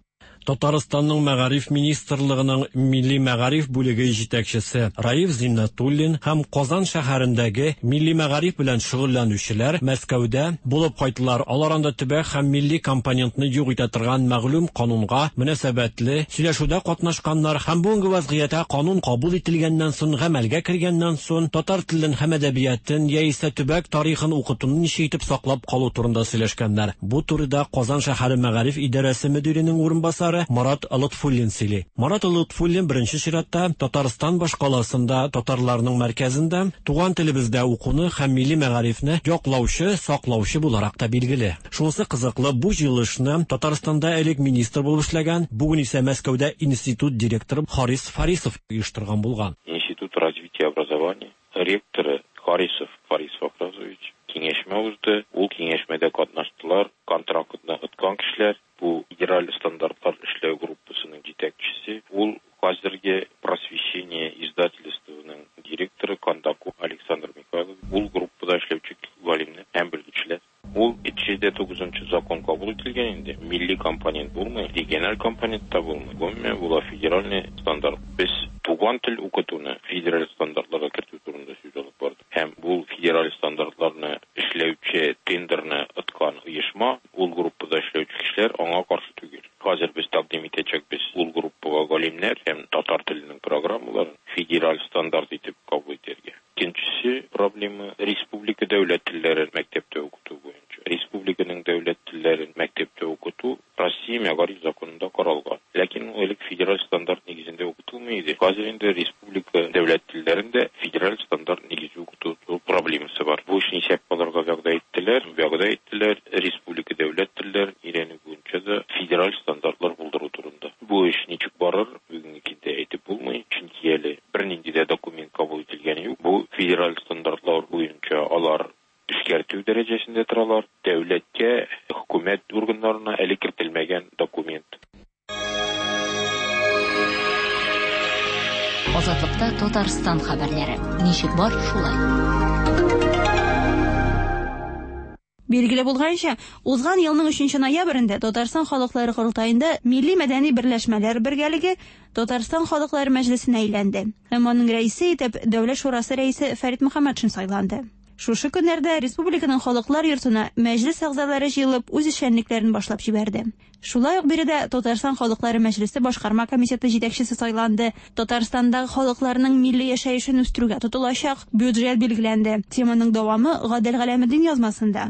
Татарстанның мәгариф министрлыгының милли мәгариф бүлеге җитәкчесе Раиф Зиннәтуллин һәм Казан шәһәрендәге милли мәгариф белән шөгыльләнүчеләр Мәскәүдә булып кайттылар. Алар анда төбәк һәм милли компонентны юк итә торган мәгълүм канунга мөнәсәбәтле сөйләшүдә катнашканнар һәм бүгенге вазгыятьтә канун кабул ителгәннән соң, гамәлгә кергәннән соң татар телен һәм әдәбиятын яисә төбәк тарихын укытуны ничек итеп саклап калу турында сөйләшкәннәр. Бу турыда Казан шәһәре мәгариф идарәсе мөдиренең урынбасары Марат Лотфуллин сөйли. Марат Лотфуллин беренче чиратта Татарстан башкаласында татарларның мәркәзендә туган телебездә укуны һәм милли мәгарифне яклаучы, саклаучы буларак та билгеле. Шунысы кызыклы, бу җыелышны Татарстанда элек министр булып эшләгән, бүген исә Мәскәүдә институт директоры Харис Фарисов оештырган булган. Институт развития образования ректоры Харисов Фарис Фахразович киңәшмә узды. Ул киңәшмәдә катнаштылар контрактны откан кешеләр, бу федераль стандартлар эшләү группасының җитәкчесе, ул хәзерге Просвещение издательствоның директоры Кондаков Александр Михайлович, ул группада эшләүче галимнәр һәм белгечләр. Ул җитмеш тугызынчы закон кабул ителгән инде. Милли компонент булмый, региональ компонент та булмый. Гомумән, була федеральный стандарт. Без туган тел укытуны федераль стандартларга кертү турында сүз алып бардык. Һәм бу федераль стандартларны эшләүче тендерны откан оешма, ул группада эшләүче кешеләр аңа каршы түгел. Хәзер без тәкъдим итәчәкбез ул группага галимнәр һәм татар теленең программаларын федераль стандарт итеп кабул итәргә. Икенчесе проблема республика дәүләт телләрен мәктәптә укыту буенча. Республиканың дәүләт телләрен мәктәптә укыту Россия мәгариф законында каралган. Ләкин ул элек федераль стандарт нигезендә укытылмый иде. Хәзер инде республика дәүләт телләрендә федераль стандарт нигезе укыту проблемасы бар. Бу эшне исәп алырга вәгъдә иттеләр, вәгъдә иттеләр республика дәүләт телләрен өйрәнү буенча да федераль стандартлар булдыру турында. Бу эш ничек барыр, бүгенге көндә әйтеп булмый, чөнки әле бернинди дә документ кабул ителгәне юк. Бу федераль стандартлар буенча алар эшкәртү дәрәҗәсендә торалар. Дәүләткә, хөкүмәт органнарына әле кертелмәгән документ. Азатлыкта Татарстан хәбәрләре. Ничек бар, шулай. Билгеле булганча, узган елның өченче ноябрендә Татарстан халыклары корылтаенда милли мәдәни берләшмәләр бергәлеге Татарстан халыклары мәҗлесенә әйләнде. Һәм аның рәисе итеп Дәүләт шурасы рәисе Фәрит Мөхәммәтшин сайланды. Шушы көннәрдә республиканың халыклар йортына мәҗлес әгъзалары җыелып үз эшчәнлекләрен башлап җибәрде. Шулай ук биредә Татарстан халыклары мәҗлесе башкарма комитеты җитәкчесе сайланды. Татарстандагы халыкларның милли яшәешен үстерүгә тотылачак бюджет билгеләнде. Теманың дәвамы Гадел Галәметдин язмасында.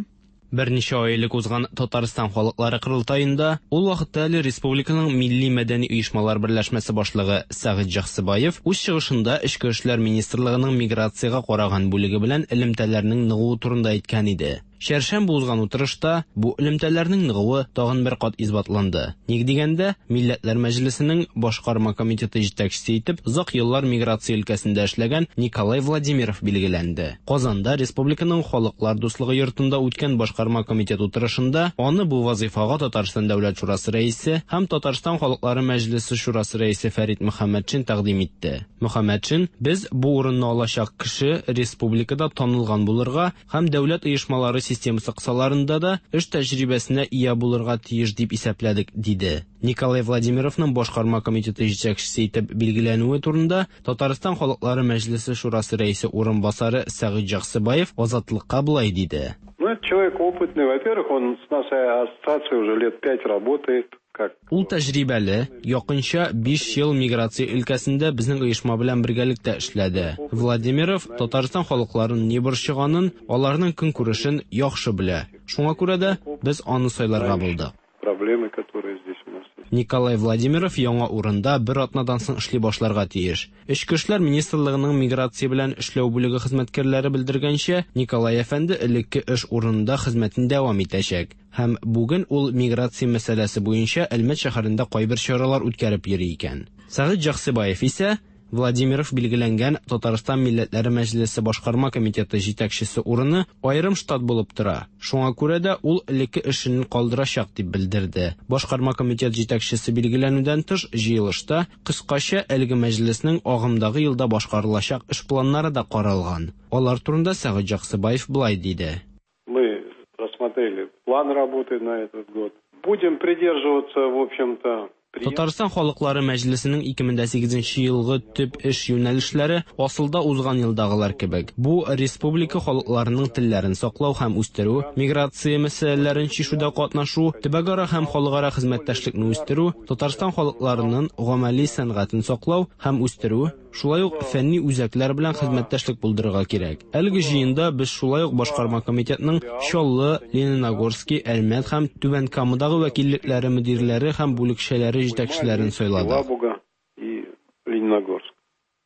Берничә ай элек узган Татарстан халыклары корылтаенда ул вакытта әле республиканың милли мәдәни оешмалар берләшмәсе башлыгы Сәгыйть Җаксыбаев үз чыгышында Эчке эшләр министрлыгының миграциягә караган бүлеге белән элемтәләрнең ныгуы турында әйткән иде. Чәршәмбе узган утырышта бу элемтәләрнең ныгуы тагын бер кат исбатланды. Ник дигәндә, Милләтләр Мәҗлесенең башкарма комитеты җитәкчесе итеп озак еллар миграция өлкәсендә эшләгән Николай Владимиров билгеләнде. Казанда республиканың Халыклар дуслыгы йортында үткән башкарма комитет утырышында аны бу вазифага Татарстан Дәүләт шурасы рәисе һәм Татарстан Халыклары Мәҗлесе шурасы рәисе Фәрит Мөхәммәтшин тәкъдим итте. Мөхәммәтшин: "Без бу урынны алачак кеше республикада танылган булырга һәм дәүләт оешмалары системасы кысаларында да эш тәҗрибәсенә ия булырга тиеш дип исәпләдек", диде. Николай Владимировның башкарма комитеты җитәкчесе итеп билгеләнүе турында Татарстан Халыклары Мәҗлесе шурасы рәисе урынбасары Сәгыйть Җаксыбаев Азатлыкка болай диде. Ну, это человек опытный. Во-первых, он с нашей ассоциацией уже лет пять работает. Как? Ул тәҗрибәле, якынча биш ел миграция өлкәсендә безнең оешма белән бергәлектә эшләде. Владимиров Татарстан халыкларын ни борчыганын, аларның көнкүрешен яхшы белә. Шуңа күрә дә без аны сайларга булдык. Проблемы, которые здесь у нас есть. Николай Владимиров яңа урында бер атнадан соң эшли башларга тиеш. Эчке эшләр министрлыгының миграция белән эшләү бүлеге хезмәткәрләре белдергәнчә, Николай әфәнде элекке эш урынында хезмәтен дәвам итәчәк. Һәм бүген ул миграция мәсьәләсе буенча Әлмәт шәһәрендә кайбер чаралар үткәреп йөри икән. Сәгыйть Җаксыбаев исә Владимиров билгеләнгән Татарстан Милләтләре Мәҗлесе башкарма комитеты җитәкчесе урыны аерым штат булып тора. Шуңа күрә дә ул элекке эшен калдырачак дип белдерде. Башкарма комитет җитәкчесе билгеләнүдән тыш җыелышта кыскача әлеге мәҗлеснең агымдагы елда башкарылачак эш планнары да каралган. Алар турында Сәгыйть Җаксыбаев болай диде. Мы рассмотрели план работы на этот год. Будем придерживаться, в общем-то, Татарстан халыклары мәҗлесенең ике мең дә сигезенче елгы төп эш юнәлешләре асылда узган елдагылар кебек. Бу республика халыкларының телләрен саклау һәм үстерү, миграция мәсьәләләрен чишүдә катнашу, төбәкара һәм халыкара хезмәттәшлекне үстерү, Татарстан халыкларының гамәли сәнгатен саклау һәм үстерү, шулай ук фәнни үзәкләр белән хезмәттәшлек булдырырга кирәк. Әлеге җыенда без шулай ук башкарма комитетның Чаллы, Лениногорский, Әлмәт һәм Түбән Камадагы вәкиллекләре мөдирләре һәм бүлекчәләре җитәкчеләрен сайладык. Елабуга и Лениногорск.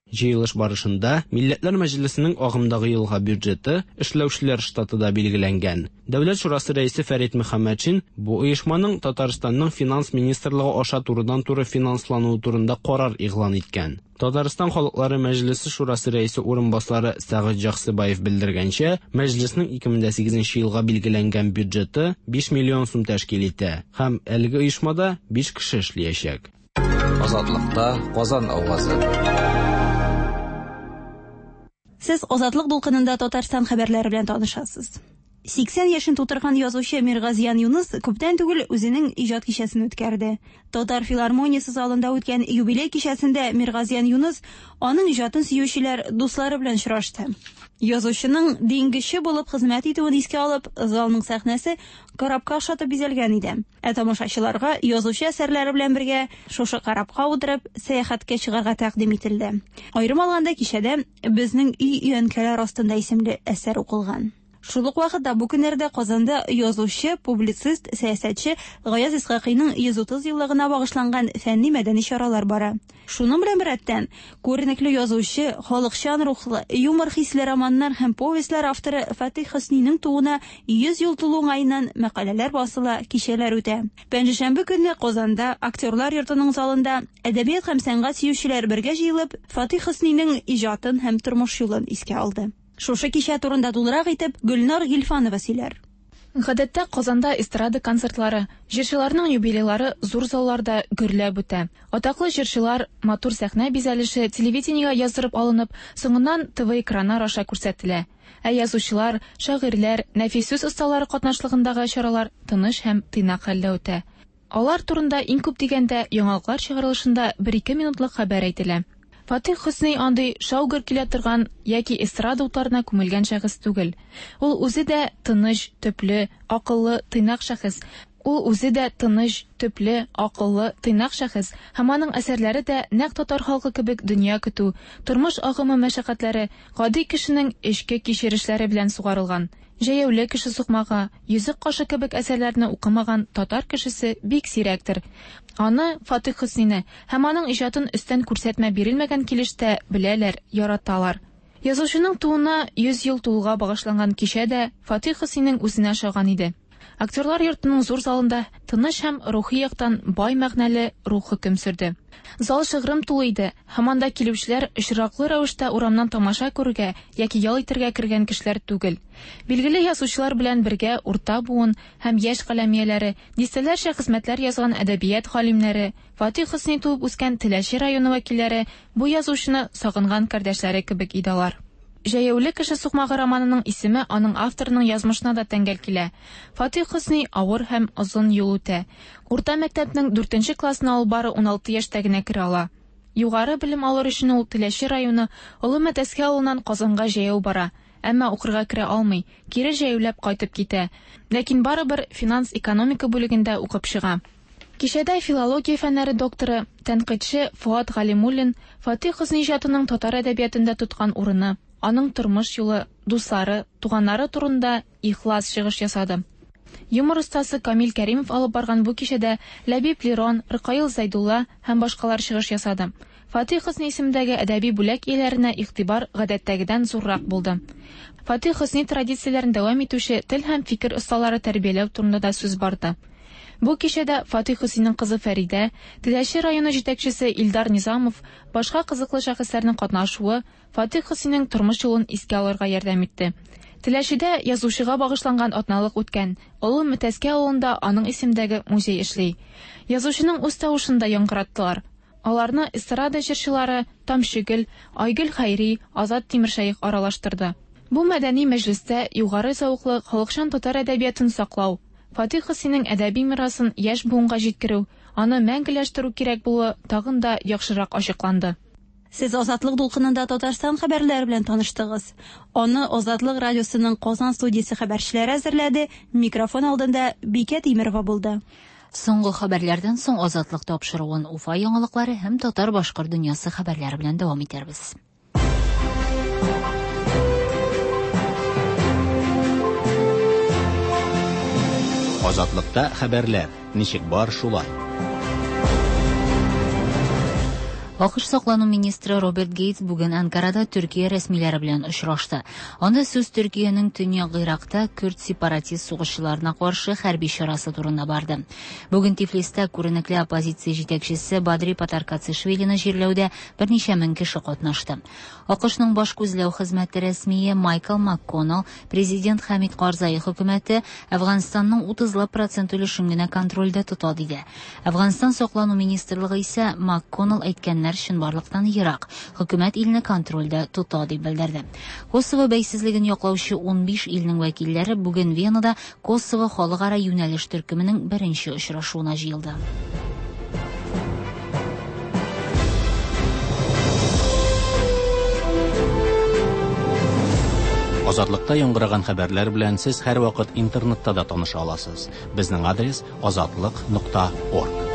Җыелыш барышында Милләтләр Мәҗлесенең агымдагы елга бюджеты эшләүчеләр штаты да билгеләнгән. Дәүләт шурасы рәисе Фәрит Мөхәммәтшин бу оешманың Татарстанның финанс министрлыгы аша турыдан-туры финанслануы турында карар игълан иткән. Татарстан халыклары Мәҗлесе шурасы рәисе урынбасары Сәгыйть Җаксыбаев белдергәнчә, мәҗлеснең ике мең дә сигезенче елга билгеләнгән бюджеты биш миллион сум тәшкил итә һәм әлеге оешмада биш кеше эшләячәк. Азатлыкта Казан авазы. Сез Азатлык дулкынында Татарстан хәбәрләре белән танышасыз. Сиксән яшен тутырган язучы Миргазиян Юныс күптән түгел үзенең иҗат кичәсен үткәрде. Татар филармониясе залында үткән юбилей кичәсендә Миргазиян Юныс аның иҗатын сөючеләр дуслары белән очрашты. Язучының диңгезче булып хезмәт итүен искә алып, залның сәхнәсе корабка охшатып бизәлгән иде. Ә тамашачыларга язучы әсәрләре белән бергә шушы корабка утырып сәяхәткә чыгарга тәкъдим ителде. Аерым алганда кичәдә Безнең өй өянкәләр астында исемле әсәр укылган. Шул ук вакытта бу көннәрдә Казанда язучы, публицист, сәясәтче Гаяз Исхакыйның йөз утыз еллыгына багышланган фәнни-мәдәни чаралар бара. Шуның белән беррәттән, күренекле язучы, халыкчан рухлы, юмор хисле романнар һәм повестьләр авторы Фатих Хөсниның тууына йөз ел тулу уңаеннан мәкаләләр басыла, кичәләр үтә. Пәнҗешәмбе көнне Казанда Актерлар йортының залында әдәбият һәм сәнгать сөючеләр бергә җыелып, Фатих Хөсниның иҗатын һәм тормыш юлын искә алды. Шушы кичә турында тулырак итеп Гөлнар Гилфанова сөйләр. Гадәттә Казанда эстрада концертлары, җырчыларның юбилейлары зур залларда гөрләп үтә. Атаклы җырчылар матур сәхнә бизәлеше телевидениегә яздырып алынып, соңыннан Т В экраннар аша күрсәтелә. Ә язучылар, шагыйрьләр, нәфис сүз осталары катнашлыгындагы чаралар тыныч һәм тыйнак хәлдә үтә. Алар турында иң күп дигәндә яңалыклар чыгарылышында бер-ике минутлык хәбәр әйтелә. Фатих Хөсни андый шау-гөр килә торган яки эстрада утларына күмелгән шәхес түгел. Ул үзе дә тыныч, төпле, акыллы, тыйнак шәхес. Ул үзе дә тыныч, төпле, акыллы, тыйнак шәхес һәм аның әсәрләре дә нәкъ татар халкы кебек дөнья көтү, тормыш агымы мәшәкатьләре, гади кешенең эчке кичерешләре белән сугарылган. Җәяүле кеше сукмагы, йөзек кашы кебек әсәрләрне укымаган татар кешесе бик сирәктер. Аны Фатих Хөснине һәм аның иҗатын өстән күрсәтмә бирелмәгән килештә беләләр, яраталар. Язучының тууына йөз ел тулуга багышланган кичә дә Фатих Хөсниның үзенә ошаган иде. Актерлар йортының зур залында тыныч һәм рухи яктан бай мәгънәле рух хөкем сөрде. Зал шыгрым тулы иде, һәм анда килүчеләр очраклы рәвештә урамнан тамаша күрергә яки ял итәргә кергән кешеләр түгел. Билгеле язучылар белән бергә урта буын һәм яшь каләм ияләре, дистәләрчә хезмәтләр язган әдәбият галимнәре, Фатих Хөсни туып үскән Теләче районы вәкилләре бу язучыны сагынган кардәшләре кебек иде алар. Җәяүле кеше сукмагы романының исеме аның авторының язмышына да тәңгәл килә. Фатих Хөсни авыр һәм озын юл үтә. Урта мәктәпнең дүртенче классына ул бары уналты яшьтә генә керә ала. Югары белем алыр өчен ул Теләче районы Олы Мәтәскә авылыннан Казанга җәяү бара, әмма укырга керә алмый, кире җәяүләп кайтып китә. Ләкин барыбер финанс-экономика бүлегендә укып чыга. Кичәдә филология фәннәре докторы, тәнкыйтьче Фуат Галимуллин Фатих Хөсни иҗатының татар әдәбиятында тоткан урыны, аның тормыш юлы, дуслары, туганнары турында ихлас чыгыш ясады. Юмор остасы Камил Кәримов алып барган бу кичәдә Ләбиб Лерон, Ркаил Зәйдулла һәм башкалар чыгыш ясады. Фатих Хөсни исемендәге әдәби бүләк ияләренә игътибар гадәттәгедән зуррак булды. Фатих Хөсни традицияләрен дәвам итүче тел һәм фикер осталары тәрбияләү турында да сүз барды. Бу кичәдә Фатих Хөсниның кызы Фәридә, Теләче районы җитәкчесе Илдар Низамов, башка кызыклы шәхесләрнең катнашуы Фатих Хөсниның тормыш юлын искә алырга ярдәм итте. Теләчедә язучыга багышланган атналык үткән. Олы Мәтәскә авылында аның исемендәге музей эшли. Язучының үз тавышын да яңгыраттылар. Аларны эстрада җырчылары Тамчыгөл, Айгөл Хәйри, Азат Тимершәех аралаштырды. Бу мәдәни мәҗлестә югары зәвыклы халыкчан татар әдәбиятын саклау, Фатих Хөсниның әдәби мирасын яшь буынга җиткерү, аны мәңгеләштерү кирәк булуы тагын да яхшырак ачыкланды. Сез Азатлык дулкынында Татарстан хәбәрләре белән таныштыгыз. Аны Азатлык радиосының Казан студиясе хәбәрчеләре әзерләде. Микрофон алдында Бикә Тимерова булды. Соңгы хәбәрләрдән соң Азатлык тапшыруын Уфа яңалыклары һәм татар-башкорт дөньясы хәбәрләре белән дәвам итәрбез. Азатлыкта хәбәрләр ничек бар шулай. АКШ саклану министры Роберт Гейтс бүген Анкарада Төркия рәсмиләре белән очрашты. Анда сүз Төркиянең Төньяк Иракта көрд сепаратист сугышчыларына каршы хәрби чарасы турында барды. Бүген Тифлистә күренекле оппозиция җитәкчесе Бадри Патаркацишвилины җирләүдә берничә мең кеше катнашты. АКШның баш күзләү хезмәте рәсмие Майкл МакКоннелл президент Хамид Карзай хөкүмәте Әфганстанның утызлап процент өлешен генә контрольдә тота диде. Әфганстан саклану министрлыгы исә МакКоннелл әйткәннәр чынбарлыктан ерак. Хөкүмәт илне контрольдә тота дип белдерде. Косово бәйсезлеген яклаучы унбиш илнең вәкилләре бүген Венада Косово халыкара юнәлеш төркеменең беренче очрашуына җыелды. Азатлыкта яңгыраган хәбәрләр белән сез һәрвакыт интернетта да таныша аласыз. Безнең адрес азатлык нокта орг.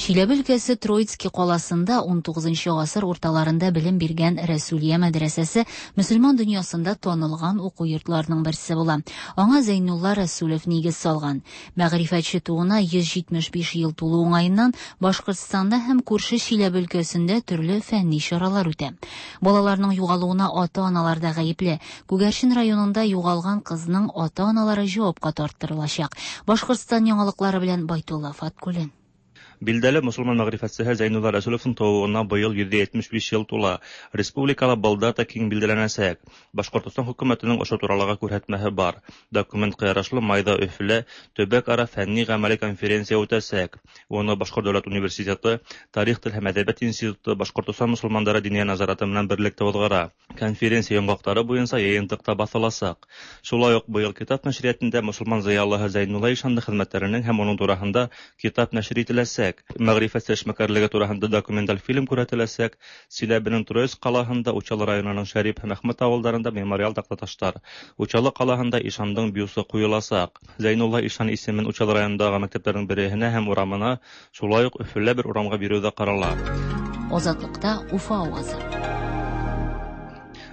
Чиләбе өлкәсе Троицкий каласында ун тугызынчы гасыр урталарында белем биргән Рәсүлия мәдрәсәсе мөселман дөньясында танылган уку йортларының берсе була. Аңа Зәйнулла Рәсүлев нигез салган. Мәгърифәтче тууына йөз җитмеш биш ел тулу уңаеннан Башкортстанда һәм күрше Чиләбе өлкәсендә төрле фәнни чаралар үтә. Балаларның югалуына ата-аналар да гаепле. Күгәрчен районында югалган кызның ата-аналары җавапка тарттырылачак. Башкортстан яңалыклары белән Байтулла Фаткуллин. Билдәле мөселман мәгърифәтчесе Зәйнулла Рәсүлевның тууына быел йөз җитмеш биш ел тула. Республикала был дата киң билдәләнәсәк. Башкортостан хөкүмәтенең ошо туралыга күрһәтмәһе бар. Документка ярашлы майда Өфөлә төбәк-ара фәнни гамәли конференция үтәсәк. Уны Башкорт дәүләт университеты, Тарих, тел һәм әдәбият институты, Башкортостан мөселмандары диния назараты менән берлектә уҙғара. Конференция йомғаҡтары буйынса йыйынтыҡта баҫыласаҡ. Шулай уҡ быйыл китап нәшриәтендә мөселман зыялыһы Зәйнулла ишандың хеҙмәттәренең һәм уның тураһында китап нәшер ителәсәк. Мәғрифәтсе эшмәкәрлеге тураһында документаль фильм күрһәтеләсәк. Силәбенең Троицк ҡалаһында, Учалы районының Шәрип һәм Әхмәт ауылдарында мемориал таҡтаташтар. Учалы ҡалаһында ишандың бюсы ҡуйыласаҡ. Зәйнулла ишан исемен Учалы районындағы мәктәптәрҙең береһенә һәм урамына, шулай уҡ Өфөлә бер урамға биреү ҙә ҡарала. Азатлыҡта Уфа ауазы.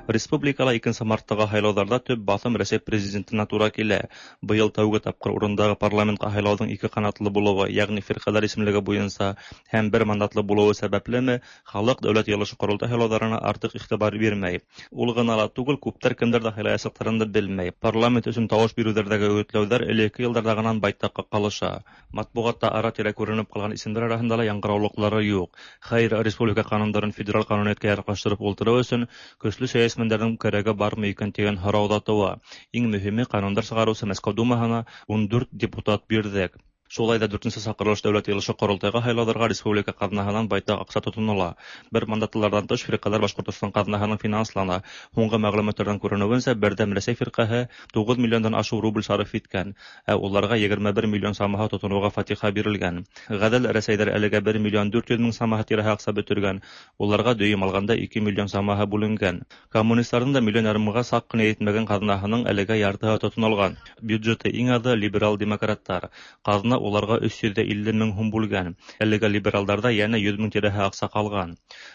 Республикала икенсе марттағы һайлауҙарҙа төп баҫым Рәсәй президентына тура килә. Быйыл тәүге тапҡыр урындағы парламентҡа һайлауҙың ике ҡанатлы булыуы, йәғни фирҡәләр исемлеге буйынса һәм бер мандатлы булыуы сәбәплеме, халыҡ дәүләт йыйылышы ҡоролтай һайлауҙарына артыҡ иғтибар бирмәй. Ул ғына ла түгел, күптәр кемдәрҙе һайлаясаҡтарын да белмәй. Парламент өсөн тауыш биреүҙәрҙәге өгөтләүҙәр элекке йылдарҙағынан байтаҡҡа ҡалыша. Матбуғатта ара-тирә күренеп ҡалған исемдәр араһында ла яңғыраулыҡлары юҡ. Хәйер, республика ҡанундарын федераль ҡануниәткә яраҡлаштырып ултырыу өсөн көслө сәйәси Мендәрҙең кәрәге бармы икән тигән һорау ҙа тыуа. Иң мөһиме, ҡанундар сығарыусы Мәскәү Думаһына ун дүрт депутат бирҙек. Шулай ҙа дүртенсе саҡырылыш дәүләт йыйылышы ҡоролтайға һайлауҙарға республика ҡаҙнаһынан байтаҡ аҡса тотонола. Бер мандатлыларҙан тыш фирҡәләр Башҡортостан ҡаҙнаһының финанслана. Һуңғы мәғлүмәттәрҙән күренеүенсә, Берҙәм Рәсәй фирҡәһе туғыҙ миллиондан ашыу рубль сарыф иткән, ә уларға егерме бер миллион самаһы тотоноуға фатиха бирелгән. Ғәҙел Рәсәйҙәр әлегә бер миллион дүрт йөҙ мең самаһы тирәһе аҡса бөтөргән, уларға дөйөм алғанда ике миллион самаһы бүленгән. Коммунистарҙың да миллион ярымға саҡ ҡына етмәгән ҡаҙнаһының әлегә яртыһы тотонолған. Бюджеты иң аҙы либерал демократтар. Ҡаҙна уларға өс йөҙ илле мең һум бүлгән. Әлегә либералдарҙа йәнә йөҙ мең тирәһе аҡса ҡалған.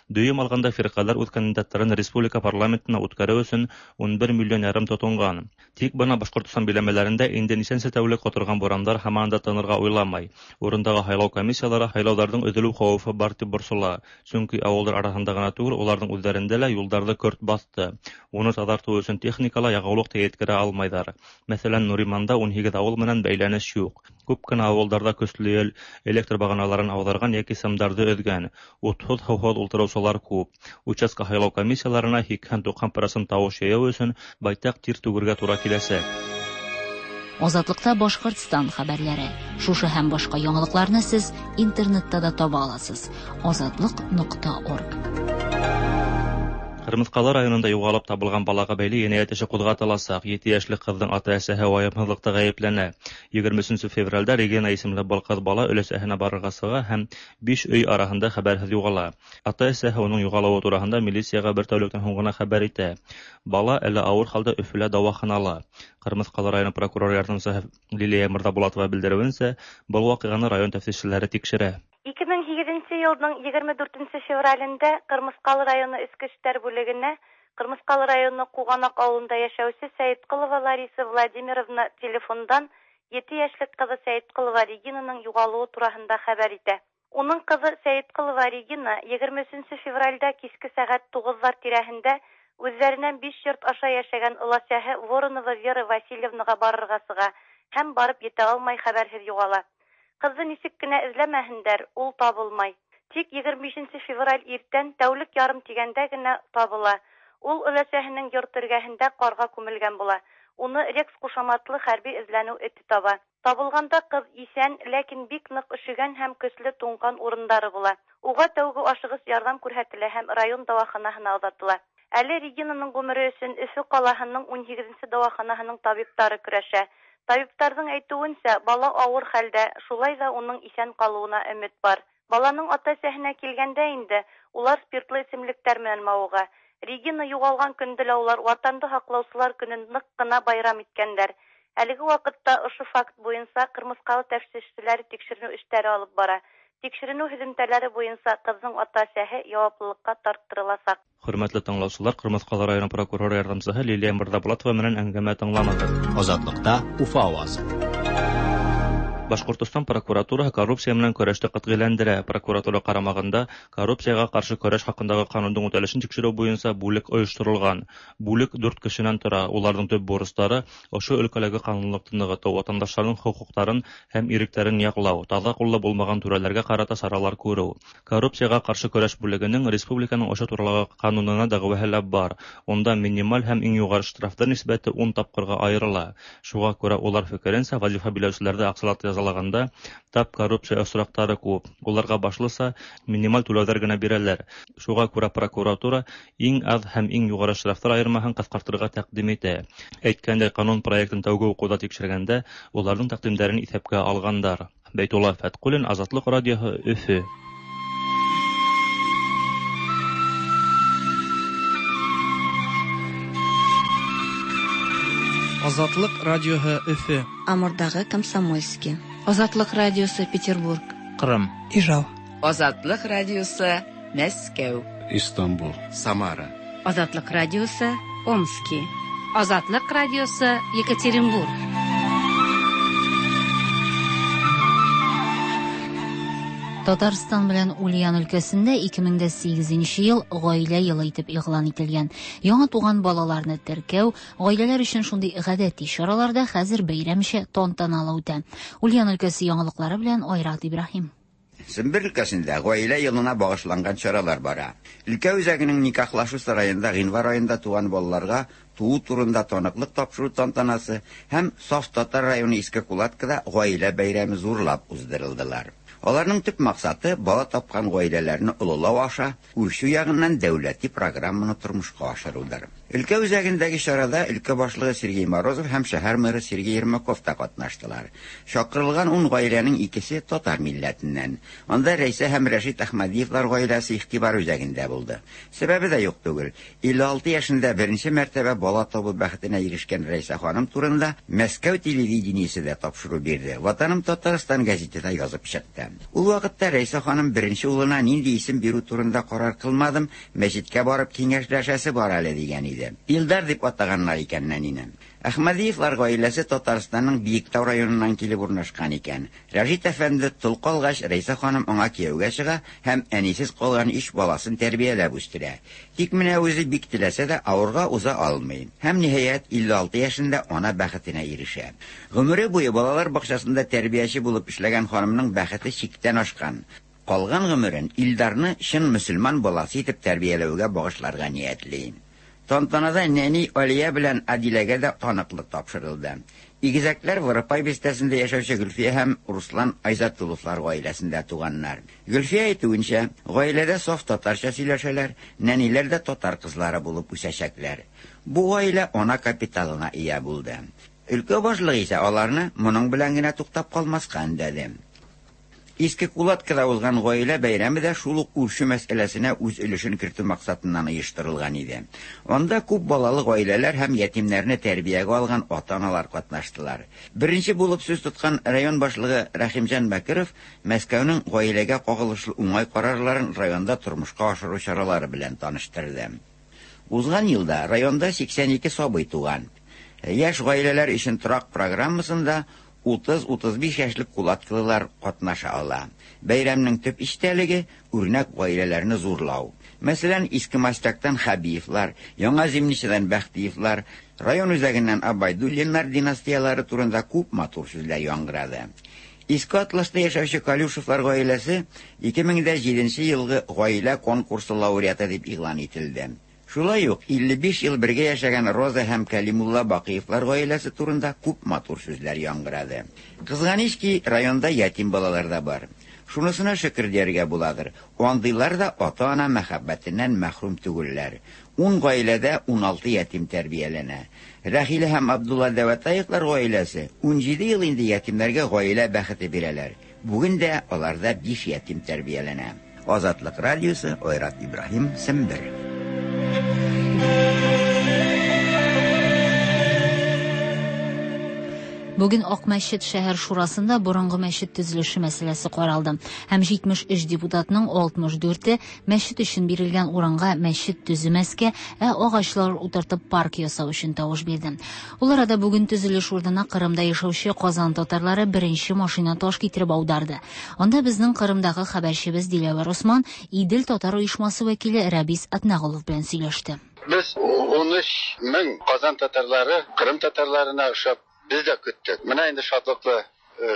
Дөйөм алғанда фирҡәләр үҙ кандидаттарын республика парламентына үткәреү өсөн ун бер миллион ярым тотонған. Тик бына Башҡортостан биләмәләрендә инде нисәнсе тәүлек ҡоторған бурандар һаман да тынырға уйламай. Урындағы һайлау комиссиялары һайлауҙарҙың өҙөлөү хәүефе бар тип борсола. Сөнки ауылдар араһында ғына түгел, уларҙың үҙҙәрендә лә юлдарҙы көрт баҫты. Уны таҙартыу өсөн техникала яғыулыҡ та еткерә алмайҙар. Мәҫәлән, Нуриманда ун һигеҙ ауыл менән бәйләнеш юҡ. Күп кенә ауылдарҙа көслө ел электр бағаналарын ауҙарған йәки сымдарҙы өҙгән. Утһыҙ, һыуһыҙ ултырыусылар күп. Участка һайлау комиссияларына һикһән-туҡһан процент тауыш йыйыу өсөн байтаҡ тир түгергә тура киләсәк. Азатлыкта Башкортстан хәбәрләре. Шушы һәм башка яңалыкларны сез интернетта да таба аласыз. азатлык нокта орг. Кырмыҫҡалы районында юғалып табылған балаға бәйле енәйәт эше ҡуҙғатыласаҡ. Ете йәшлек ҡыҙҙың ата-әсәһе вайымһыҙлыҡта ғәйепләнә. Егерме өсөнсө февралдә Регина исемле был ҡыҙ бала өләсәһенә барырға сыға һәм биш өй араһында хәбәрһеҙ юғала. Ата-әсәһе уның юғалыуы тураһында милицияға бер тәүлектән һуң ғына хәбәр итә. Бала әле ауыр хәлдә Өфөлә дауаханала. Ҡырмыҫҡалы районы прокурор ярҙамсыһы Лилия Мырҙабулатова белдереүенсә, был ваҡиғаны район тәфтишселәре тикшерә. Ике мең һигеҙенсе йылдың егерме дүртенсе февралендә Ҡырмыҫҡалы районы Эске эштәр бүлегенә Ҡырмыҫҡалы районы Ҡуғанаҡ ауылында йәшәүсе Сәйетҡолова Лариса Владимировна телефондан ете йәшлек ҡыҙы Сәйетҡолова Регинаның юғалыуы тураһында хәбәр итә. Уның ҡыҙы Сәйетҡолова Регина егерме өсөнсө февралдә киске сәғәт туғыҙҙар тирәһендә үҙҙәренән биш йорт аша йәшәгән өләсәһе Воронова Вера Васильевнаға барырға сыға һәм барып етә алмай хәбәрһеҙ юғала. Ҡыҙҙы нисек кенә эҙләмәһендәр, ул табылмай. Тик егерме бишенсе февраль иртән тәүлек ярым тигәндә генә табыла. Ул өләсәһенең йорт эргәһендә ҡарға күмелгән була. Уны Рекс ҡушаматлы хәрби эҙләнеү эте таба. Табылғанда ҡыҙ иҫән, ләкин бик ныҡ өшөгән һәм көслө туңған урындары була. Уға тәүге ашығыс ярҙам күрһәтелә һәм район дауаханаһына оҙатыла. Әле Регинаның ғүмере өсөн Өфө ҡалаһының ун һигеҙенсе дауаханаһының табиптары көрәшә. Табиптарҙың әйтеүенсә, бала ауыр хәлдә, шулай ҙа уның иҫән ҡалыуына өмөт бар. Баланың ата-әсәһенә килгәндә инде, улар спиртлы эсемлектәр менән мауыға. Регина юғалған көндө лә улар Ватанды һаҡлаусылар көнөн ныҡ ҡына байрам иткәндәр. Әлеге ваҡытта ошо факт буйынса Ҡырмыҫҡалы тәфтишселәре тикшеренеү эштәре алып бара. Тикшеренеү һөҙөмтәләре буйынса ҡыҙҙың ата-әсәһе яуаплылыҡҡа тарттырыласаҡ. Хөрмәтле тыңлаусылар, Ҡырмыҫҡалы районы прокуроры ярҙамсыһы Лилия Мырҙабулатова менән әңгәмә тыңланығыҙ. Азатлыҡта Уфа ауазы. Башҡортостан прокуратураһы коррупция менән көрәште ҡәтғиләндерә. Прокуратура ҡарамағында коррупцияға ҡаршы көрәш хаҡындағы ҡанундың үтәлешен тикшереү буйынса бүлек ойошторолған. Бүлек дүрт кешенән тора. Уларҙың төп бурыстары ошо өлкәләге ҡанунлыҡты нығытыу, ватандаштарҙың хоҡуҡтарын һәм иректәрен яҡлау, таҙа ҡуллы булмаған түрәләргә ҡарата саралар күреү. Коррупцияға ҡаршы көрәш бүлегенең республиканың ошо туралағы ҡанунына дәғүәһе лә бар. Унда минималь һәм иң юғары штрафтар нисбәте ун тапҡырға айырыла. Шуға күрә улар фекеренсә, вазифа биләүселәрҙе аҡсалата язалағанда тап коррупция осраҡтары күп. Уларға башлыса минималь түләүҙәр генә бирәләр. Шуға күрә прокуратура иң аҙ һәм иң юғары штрафтар айырмаһын ҡыҫҡартырға тәҡдим итә. Әйткәндәй, ҡанун проектын тәүге уҡыуҙа тикшергәндә уларҙың тәҡдимдәрен иҫәпкә алғандар. Бәйтулла Фәтҡуллин, Азатлыҡ радиоһы, Өфө. Азатлык радиоһы, Өфө. Амурдағы Комсомольский. Азатлык радиосы, Петербург. Ҡырым. Ижау. Азатлык радиосы, Мәскәү. Истанбул. Самара. Азатлык радиосы, Омский. Азатлык радиосы, Екатеринбург. Татарстан белән Ульян өлкәсендә ике мең дә сигеҙенсе йыл ғаилә йылы итеп игълан ителгән. Яңа туған балаларны теркәү, ғаиләләр өчен шундый ғәдәти чаралар да хәзер бәйрәмчә тантаналы үтә. Ульян өлкәсе яңалыҡлары белән Айрат Ибраһим. Сембер өлкәсендә ғаилә йылына бағышланған чаралар бара. Өлкә үзәгенең никахлашу сараенда ғинвар айында туған балаларға туу турында таныҡлыҡ тапшырыу тантанасы һәм Саф Татар районы Иске Кулаткада ғаилә бәйрәме зурлап уздырылдылар. Аларның төп маҡсаты бала тапҡан ғаиләләрне ололау аша үрсеү яғынан дәүләти программаны тормошҡа ашырыуҙыр. Өлкә үзәгендәге чарада өлкә башлығы Сергей Морозов һәм шәһәр мэры Сергей Ермаков та ҡатнаштылар. Чаҡырылған ун ғаиләнең икесе татар милләтеннән. Анда Рәйсә һәм Рәшит Әхмәдиевлар ғаиләсе иғтибар үзәгендә булды. Сәбәбе дә юҡ түгел. Илле алты йәшендә беренсе мәртәбә бала табыу бәхетенә ирешкән Рәйсә ханым турында Мәскәү телевидениесе дә тапшырыу бирҙе. Ватаным Татарстан гәзите дә язып сыҡты. Ул ваҡытта Рәйсә ханым беренсе улына ниндәй исем биреү турында ҡарар ҡылмаҙым, мәсеткә барып киңәшләшәсе бар әле тигән иде. Илдар дип атағаннар икән нәнине. Әхмәдиевлар ғаиләсе Татарстанның Биектау районынан килеп урнашҡан икән. Рәшит әфәнде тол ҡалғас, Рәйсә ханым аңа кейәүгә сыға һәм әнисез ҡалған иш баласын тәрбиәләп үҫтерә. Тик менә үҙе бик теләсә дә ауырға уза алмай. Һәм ниһайәт илле алты йәшендә ана бәхетенә ирешә. Ғүмере буйы балалар баҡсаһында тәрбиәсе булып эшләгән ханымның бәхете сиктән ашҡан. Ҡалған ғүмерен Илдарны чын мөселман баласы итеп тәрбиәләүгә бағышларға ниәтләй. Тантанада нәни Алия белән Адиләгә дә таныклык тапшырылды. Игезәкләр Воропай бистәсендә яшәүче Гөлфия һәм Руслан Айзатулловлар гаиләсендә туганнар. Гөлфия әйтүенчә, гаиләдә саф татарча сөйләшәләр, нәниләр дә татар кызлары булып үсәчәкләр. Бу гаилә ана капиталына ия булды. Өлкә башлыгы исә аларны моның белән генә туктап калмаска өндәде. Иске Кулаткада узган гаилә бәйрәме дә шул ук үрчү мәсьәләсенә үз өлешен кертү максатыннан оештырылган иде. Анда күп балалы гаиләләр һәм ятимнәрне тәрбиягә алган ата-аналар катнаштылар. Беренче булып сүз тоткан район башлыгы Рәхимҗан Бәкиров Мәскәүнең гаиләгә кагылышлы уңай карарларын районда тормышка ашыру чаралары белән таныштырды. Узган елда районда сиксән ике сабый туган. Яшь гаиләләр өчен торак программасында утыз-утыз биш яшьлек кулаткылылар катнаша ала. Бәйрәмнең төп истәлеге үрнәк гаиләләрне зурлау. Мәсәлән, Иске Мастактан Хабиевлар, Яңа Зимничадан Бәхтиевлар, район үзәгеннән Абайдуллиннар династиялары турында күп матур сүзләр яңгырады. Иске Атласта яшәүче Калюшевлар гаиләсе ике мең дә җиденче елгы гаилә конкурсы лауреаты дип игълан ителде. Шулай ук илле биш ел бергә яшәгән Роза һәм Кәлимулла Бакыевлар гаиләсе турында күп матур сүзләр яңгырады. Кызганыч ки, районда ятим балалар да бар. Шунысына шөкер дияргә буладыр. Андыйлар да ата-ана мәхәббәтеннән мәхрүм түгелләр. Ун гаиләдә ун алты ятим тәрбияләнә. Рәхилә һәм Абдулла Дәвәтаевлар гаиләсе ун җиде ел инде ятимнәргә гаилә бәхете бирәләр. Бүген дә аларда биш ятим тәрбияләнә. Азатлык радиосы, Айрат Ибраһим, Сембер. Бүген Акмәчет шәһәр шурасында борынгы мәчет төзелеше мәсьәләсе каралды. Һәм җитмеш өч депутатның алтмыш дүрте мәчет өчен бирелгән урынга мәчет төземәскә, ә агачлар утыртып парк ясау өчен тавыш бирде. Ул арада бүген төзелеш урынына Кырымда яшәүче Казан татарлары беренче машина таш китереп аударды. Анда безнең Кырымдагы хәбәрчебез Диләвәр Усман Идел татар оешмасы вәкиле Рәбис Атнагулов белән сөйләште. Без ун өч мең Казан татарлары Кырым татарларына ошап без дә көттек. Менә инде шатлыклы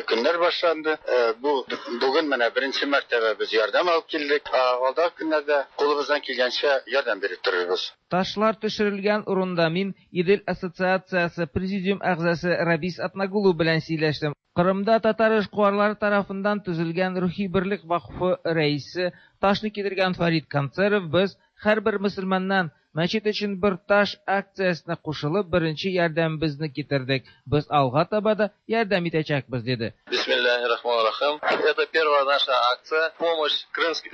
көннәр башланды. Бу бүген менә беренче мәртәбә без ярдәм алып килдек. Алдагы көннәрдә кулыбыздан килгәнчә ярдәм биреп торырбыз. Ташлар төшерелгән урында мин Идел ассоциациясе президиум әгъзасы Рабис Атнагулов белән сөйләштем. Кырымда татар эшкуарлары тарафыннан төзелгән Рухи берлек вакыфы рәисе ташны китергән Фарид Концеров без һәрбер мөселманнан мәчет өчен бер таш акциясенә кушылып беренче ярдәмебезне китердек. Без алга таба да ярдәм итәчәкбез, диде. Бисмиллахир-рахманир-рахим. Это первая наша акция помощь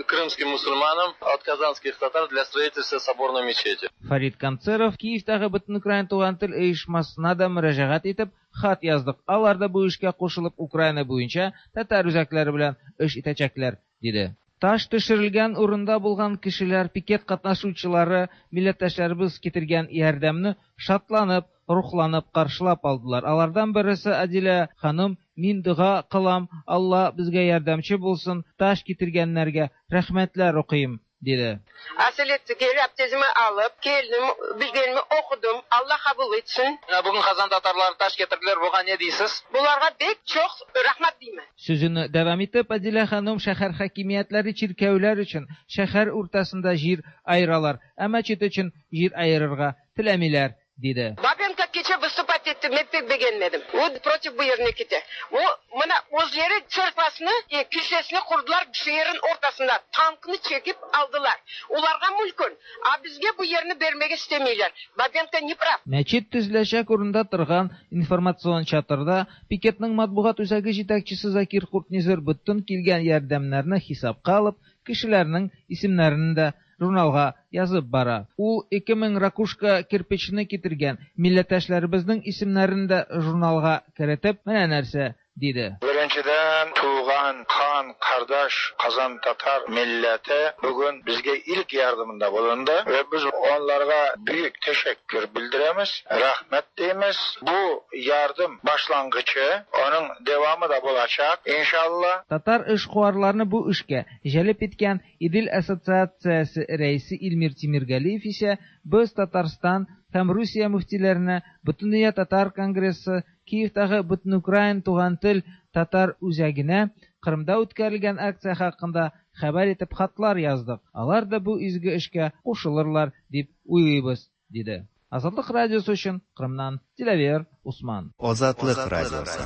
крымским мусульманам от казанских татар для строительства соборной мечети. Фарид Концеров Киевтагы Бөтенукраин туган тел оешмасына да мөрәҗәгать итеп хат яздык. Алар да бу эшкә кушылып Украина буенча татар үзәкләре белән эш итәчәкләр, диде. Таш төшерелгән урында булган кешеләр, пикет катнашучылары, милләттәшләребез китергән ярдәмне шатланып, рухланып каршылап алдылар. Алардан берсе Адилә ханым, мин дога кылам, Алла безгә ярдәмче булсын, таш китергәннәргә рәхмәтләр укыйм, диде. Asileti gelip abdestimi alıp geldim, bilgenimi okudum. Allah kabul etsin. Bugün Kazan tatarları taş getirdiler. Buga ne deysiz? Bularga bek çok rahmat deyman. Sözünü devam etip Adile hanım şəhər hakimiyyətləri çirkəvlər üçün şəhər ortasında җир ayıralar, ә мәчет өчен җир ayırırга теләмиләр, диде. Бабенко keçe выступать etdi, men pek beğenmedim. O против bu yerine gitti. O mına özleri çırpasını, e, kilsesini kurdular şehrin ortasında. Tankını çekip aldılar. Ularga mülkün. A bizge bu yerini bermege istemiyorlar. Бабенко не прав. Мәчет төзеләчәк урында торган информацион чатырда пикетның матбугат үзәге җитәкчесе Закир Куртнизер бөтен килгән ярдәмнәрне хисапка алып, кешеләрнең исемнәрен дә журналга язып бара. Ул ике мең ракушка кирпичне китергән милләттәшләребезнең исемнәрен дә журналга керетеп, менә нәрсә диде. Беренчедән, туган, хан, кардаш, Казан татар милләте бүген безгә ilk yardımında bulundu ve biz onlarga büyük teşekkür bildiremiz, rahmet deymiz. Bu yardım başlangıcı, onun devamı da bulacak inşallah. Татар эшкуарларны бу эшкә җәлеп иткән Идел ассоциациясе рәисе Илмир Тимиргалиев исә без Татарстан һәм Русия мөфтиләренә, Бөтендөнья татар конгрессы, Киевтагы Бөтенукраин туган тел татар үзәгенә Кырымда үткәрелгән акция хакында хәбәр итеп хатлар яздык. Алар да бу изге эшкә кушылырлар дип уйлыйбыз, диде. Азатлык радиосы өчен Кырымнан Диләвер Усман. Азатлык радиосы.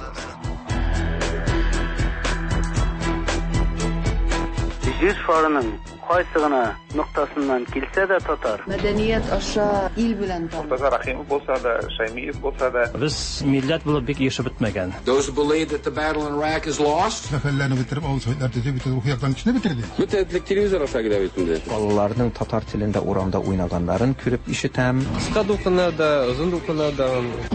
Җир шарының кайсы гына ноктасыннан килсә дә татар. Мәдәният аша ил белән таныш. Мортаза Рахимов булса да, Шаймиев булса да. Без милләт булып бик ешып бетмәгән. Those who believe that the battle in Iraq is lost. Сәфәрләрне бетереп, авыл советлар төзеп, бөтен рухи яктан кешене бетерде. Бөтен телевизор аша килә бит инде. Балаларның татар телендә урамда уйнаганнарын күреп ишетәм. Кыска дулкыннарда, озын дулкыннарда.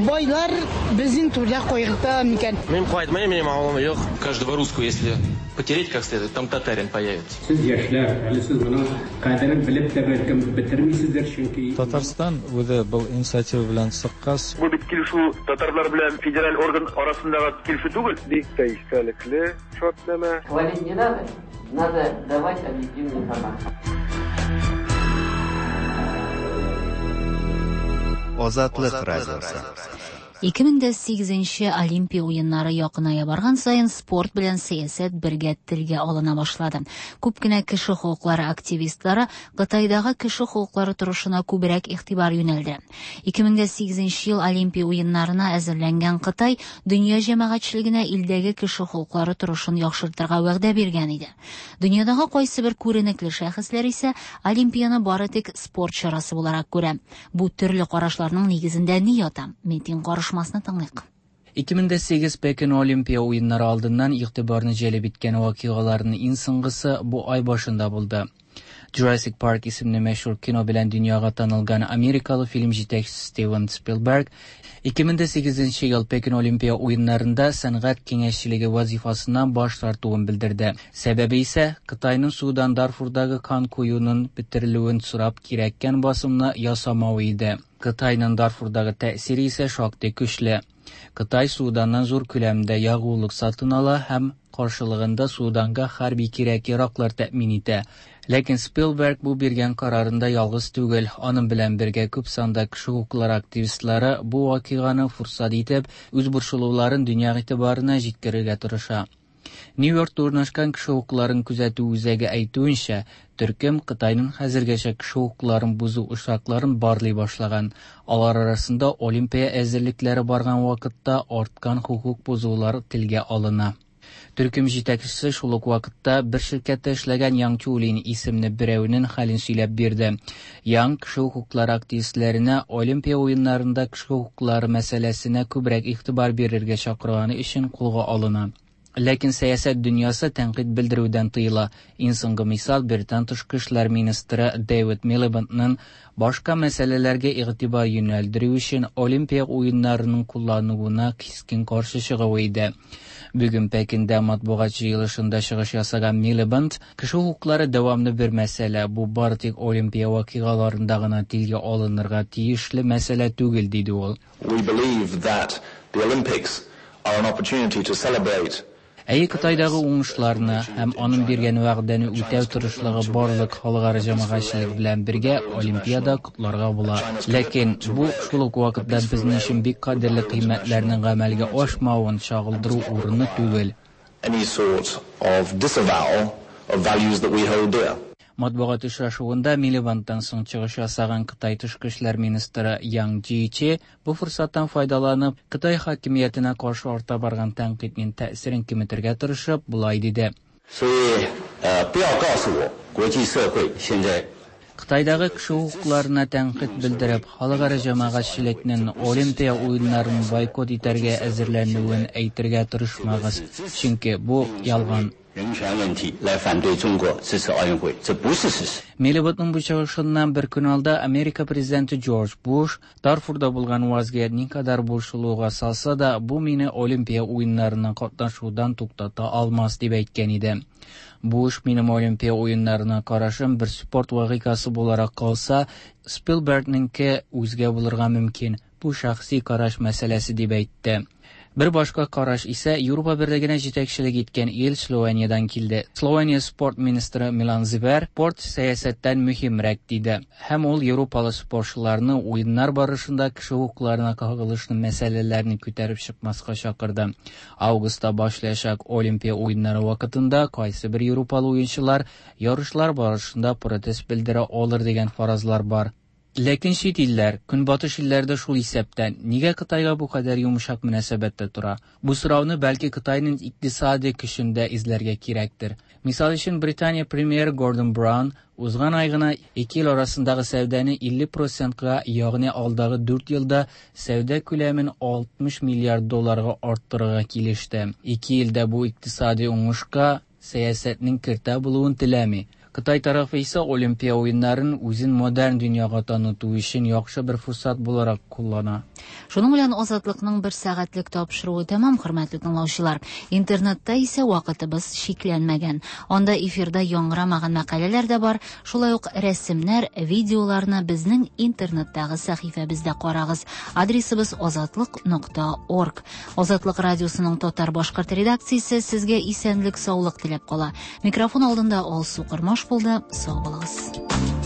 Байлар безнең түрдә кайгырта микән? Мин кайтмыйм, минем авылым юк. Каждого русского, если потереть как следует, там татарин появится. Сез яшьләр, әле сез моның кадерен белеп тә бәлкем бетермисездер, чөнки Татарстан үзе был инициатива белән чыккач, бу бит килешү татарлар белән федераль орган арасындагы килешү түгел. Бик тә истәлекле шартнамә. Хвалить не надо, надо давать объективную информацию. Азатлык радиосы. ике мең дә сигезенче Олимпия уеннары якыная барган саен спорт белән сәясәт бергә телгә алына башлады. Күп кенә кеше хокуклары активистлары Кытайдагы кеше хокуклары торышына күбрәк игътибар юнәлде. ике мең дә сигезенче ел Олимпия уеннарына әзерләнгән Кытай дөнья җәмәгатьчелегенә илдәге кеше хокуклары торышын яхшыртырга вәгъдә биргән иде. Дөньядагы кайсы бер күренекле шәхесләр исә Олимпияны бары тик спорт чарасы буларак күрә. Бу төрле карашларның нигезендә ни ята? Митинг карышмасны тыңлыйк. ике мең дә сигез Пекин Олимпия уеннары алдыннан игътибарны җәлеп иткән вакыйгаларның иң соңгысы бу ай башында булды. Jurassic Park исемле мәшһүр кино белән дөньяга танылган америкалы фильм җитәкчесе Стивен Спилберг ике мең дә сигезенче ел Пекин Олимпия уеннарында сәнгать киңәшчелеге вазифасыннан баш тартуын белдерде. Сәбәбе исә Кытайның Судан Дарфурдагы кан коюның бетерелүен сорап кирәккән басымны ясамавы иде. Кытайның Дарфурдагы тәэсире исә шактый көчле. Кытай Суданнан зур күләмдә ягулык сатын ала һәм каршылыгында Суданга хәрби кирәк-яраклар тәэмин итә. Ләкин Спилберг бу биргән карарында ялгыз түгел. Аның белән бергә күп санда кеше хокуклары активистлары бу вакыйганы фурсат итеп, үз борчылуларын дөнья игътибарына җиткерергә тырыша. Нью-Йоркта урнашкан кеше хокукларын күзәтү үзәге әйтүенчә, төркем Кытайның хәзергәчә кеше хокукларын бозу очракларын барлый башлаган. Алар арасында Олимпия әзерлекләре барган вакытта арткан хокук бозулар телгә алына. Төркем җитәкчесе шул ук вакытта бер ширкәттә эшләгән Яң Чулин исемле берәүнең хәлен сөйләп бирде. Яң кеше хокуклары активистләренә Олимпия уеннарында кеше хокуклары мәсьәләсенә күбрәк игътибар бирергә чакырганы өчен кулга алына. Ләкин сәясәт дөньясы тәнкыйть белдерүдән тыела. Иң соңгы мисал Британ тышкы эшләр министры Дэвид Милибендның башка мәсьәләләргә игътибар юнәлдерү өчен Олимпия уеннарының куллануына кискен каршы чыгуы иде. Бүген Пекиндә матбугат җыелышында чыгыш ясаган Милибенд, кеше хокуклары дәвамлы бер мәсьәлә, бу бары тик Олимпия вакыйгаларында гына телгә алынырга тиешле мәсьәлә түгел, диде ул. We believe that the Olympics are an opportunity to celebrate Әйе, Кытайдагы уңышларны һәм аның биргән вәгъдәне үтәү тырышлыгы барлык халыкара җәмәгатьчелек белән бергә Олимпиада котларга була. Ләкин бу шул ук вакытта безнең өчен бик кадерле кыйммәтләрнең гамәлгә ашмавын чагылдыру урыны түгел. Any sort of disavowal of values that we hold dear. Матбугат очрашуында Милибендтан соң чыгыш ясаган Кытай тышкы эшләр министры Яң Джичи бу форсаттан файдаланып, Кытай хакимиятенә каршы арта барган тәнкыйтьнең тәэсирен киметергә тырышып, болай диде. Кытайдагы кеше хокукларына тәнкыйть белдереп, халыкара җәмәгатьчелекнең Олимпия уеннарын бойкот итәргә әзерләнүен әйтергә тырышмагыз, чөнки бу ялган. Милибендның бу чыгышыннан бер көн алда Америка президенты Джордж Буш Дарфурда булган вазгыять никадәр борчылуга салса да, бу мине Олимпия уеннарына катнашудан туктата алмас дип әйткән иде. Буш минем Олимпия уеннарына карашым бер спорт вакыйгасы буларак калса, Спилбергнеңке үзгә булырга мөмкин. Бу шәхси караш мәсьәләсе дип әйтте. Бер башка караш исә Европа берлегенә җитәкчелек иткән ил Словениядән килде. Словения спорт министры Милан Зибер спорт сәясәттән мөһимрәк диде. Һәм ул Европалы спортчыларны уеннар барышында кеше хокукларына кагылышлы мәсьәләләрне күтәреп чыкмаска чакырды. Августта башлаячак Олимпия уеннары вакытында кайсы бер Европалы уенчылар ярышлар барышында протест белдерә алыр дигән фаразлар бар. Ләкин чит илләр, Көнбатыш илләре дә шул исәптән, нигә Кытайга бу кадәр йомшак мөнәсәбәттә тора? Бу сорауны бәлки Кытайның икътисади көчендә эзләргә кирәктер. Мисал өчен, Британия премьеры Гордон Браун узган ай гына ике ил арасындагы сәүдәне илле процентка, ягъни алдагы дүрт елда сәүдә күләмен алтмыш миллиард долларга арттырырга килеште. Ике ил дә бу икътисади уңышка сәясәтнең киртә булуын теләми. Кытай тарафы исә Олимпия уеннарын үзен модерн дөньяга таныту өчен яхшы бер форсат буларак куллана. Шуның белән Азатлыкның бер сәгатьлек тапшыруы тәмам, хөрмәтле тыңлаучылар. Интернетта исә вакытыбыз чикләнмәгән. Анда эфирда яңгырамаган мәкаләләр дә бар, шулай ук рәсемнәр, видеоларны безнең интернеттагы сәхифәбездә карагыз. Адресыбыз азатлык нокта орг. Азатлык радиосының татар-башкорт редакциясе сезгә исәнлек, саулык теләп кала. Микрофон алдында Алсу Кормаш булды. Сау булыгыз.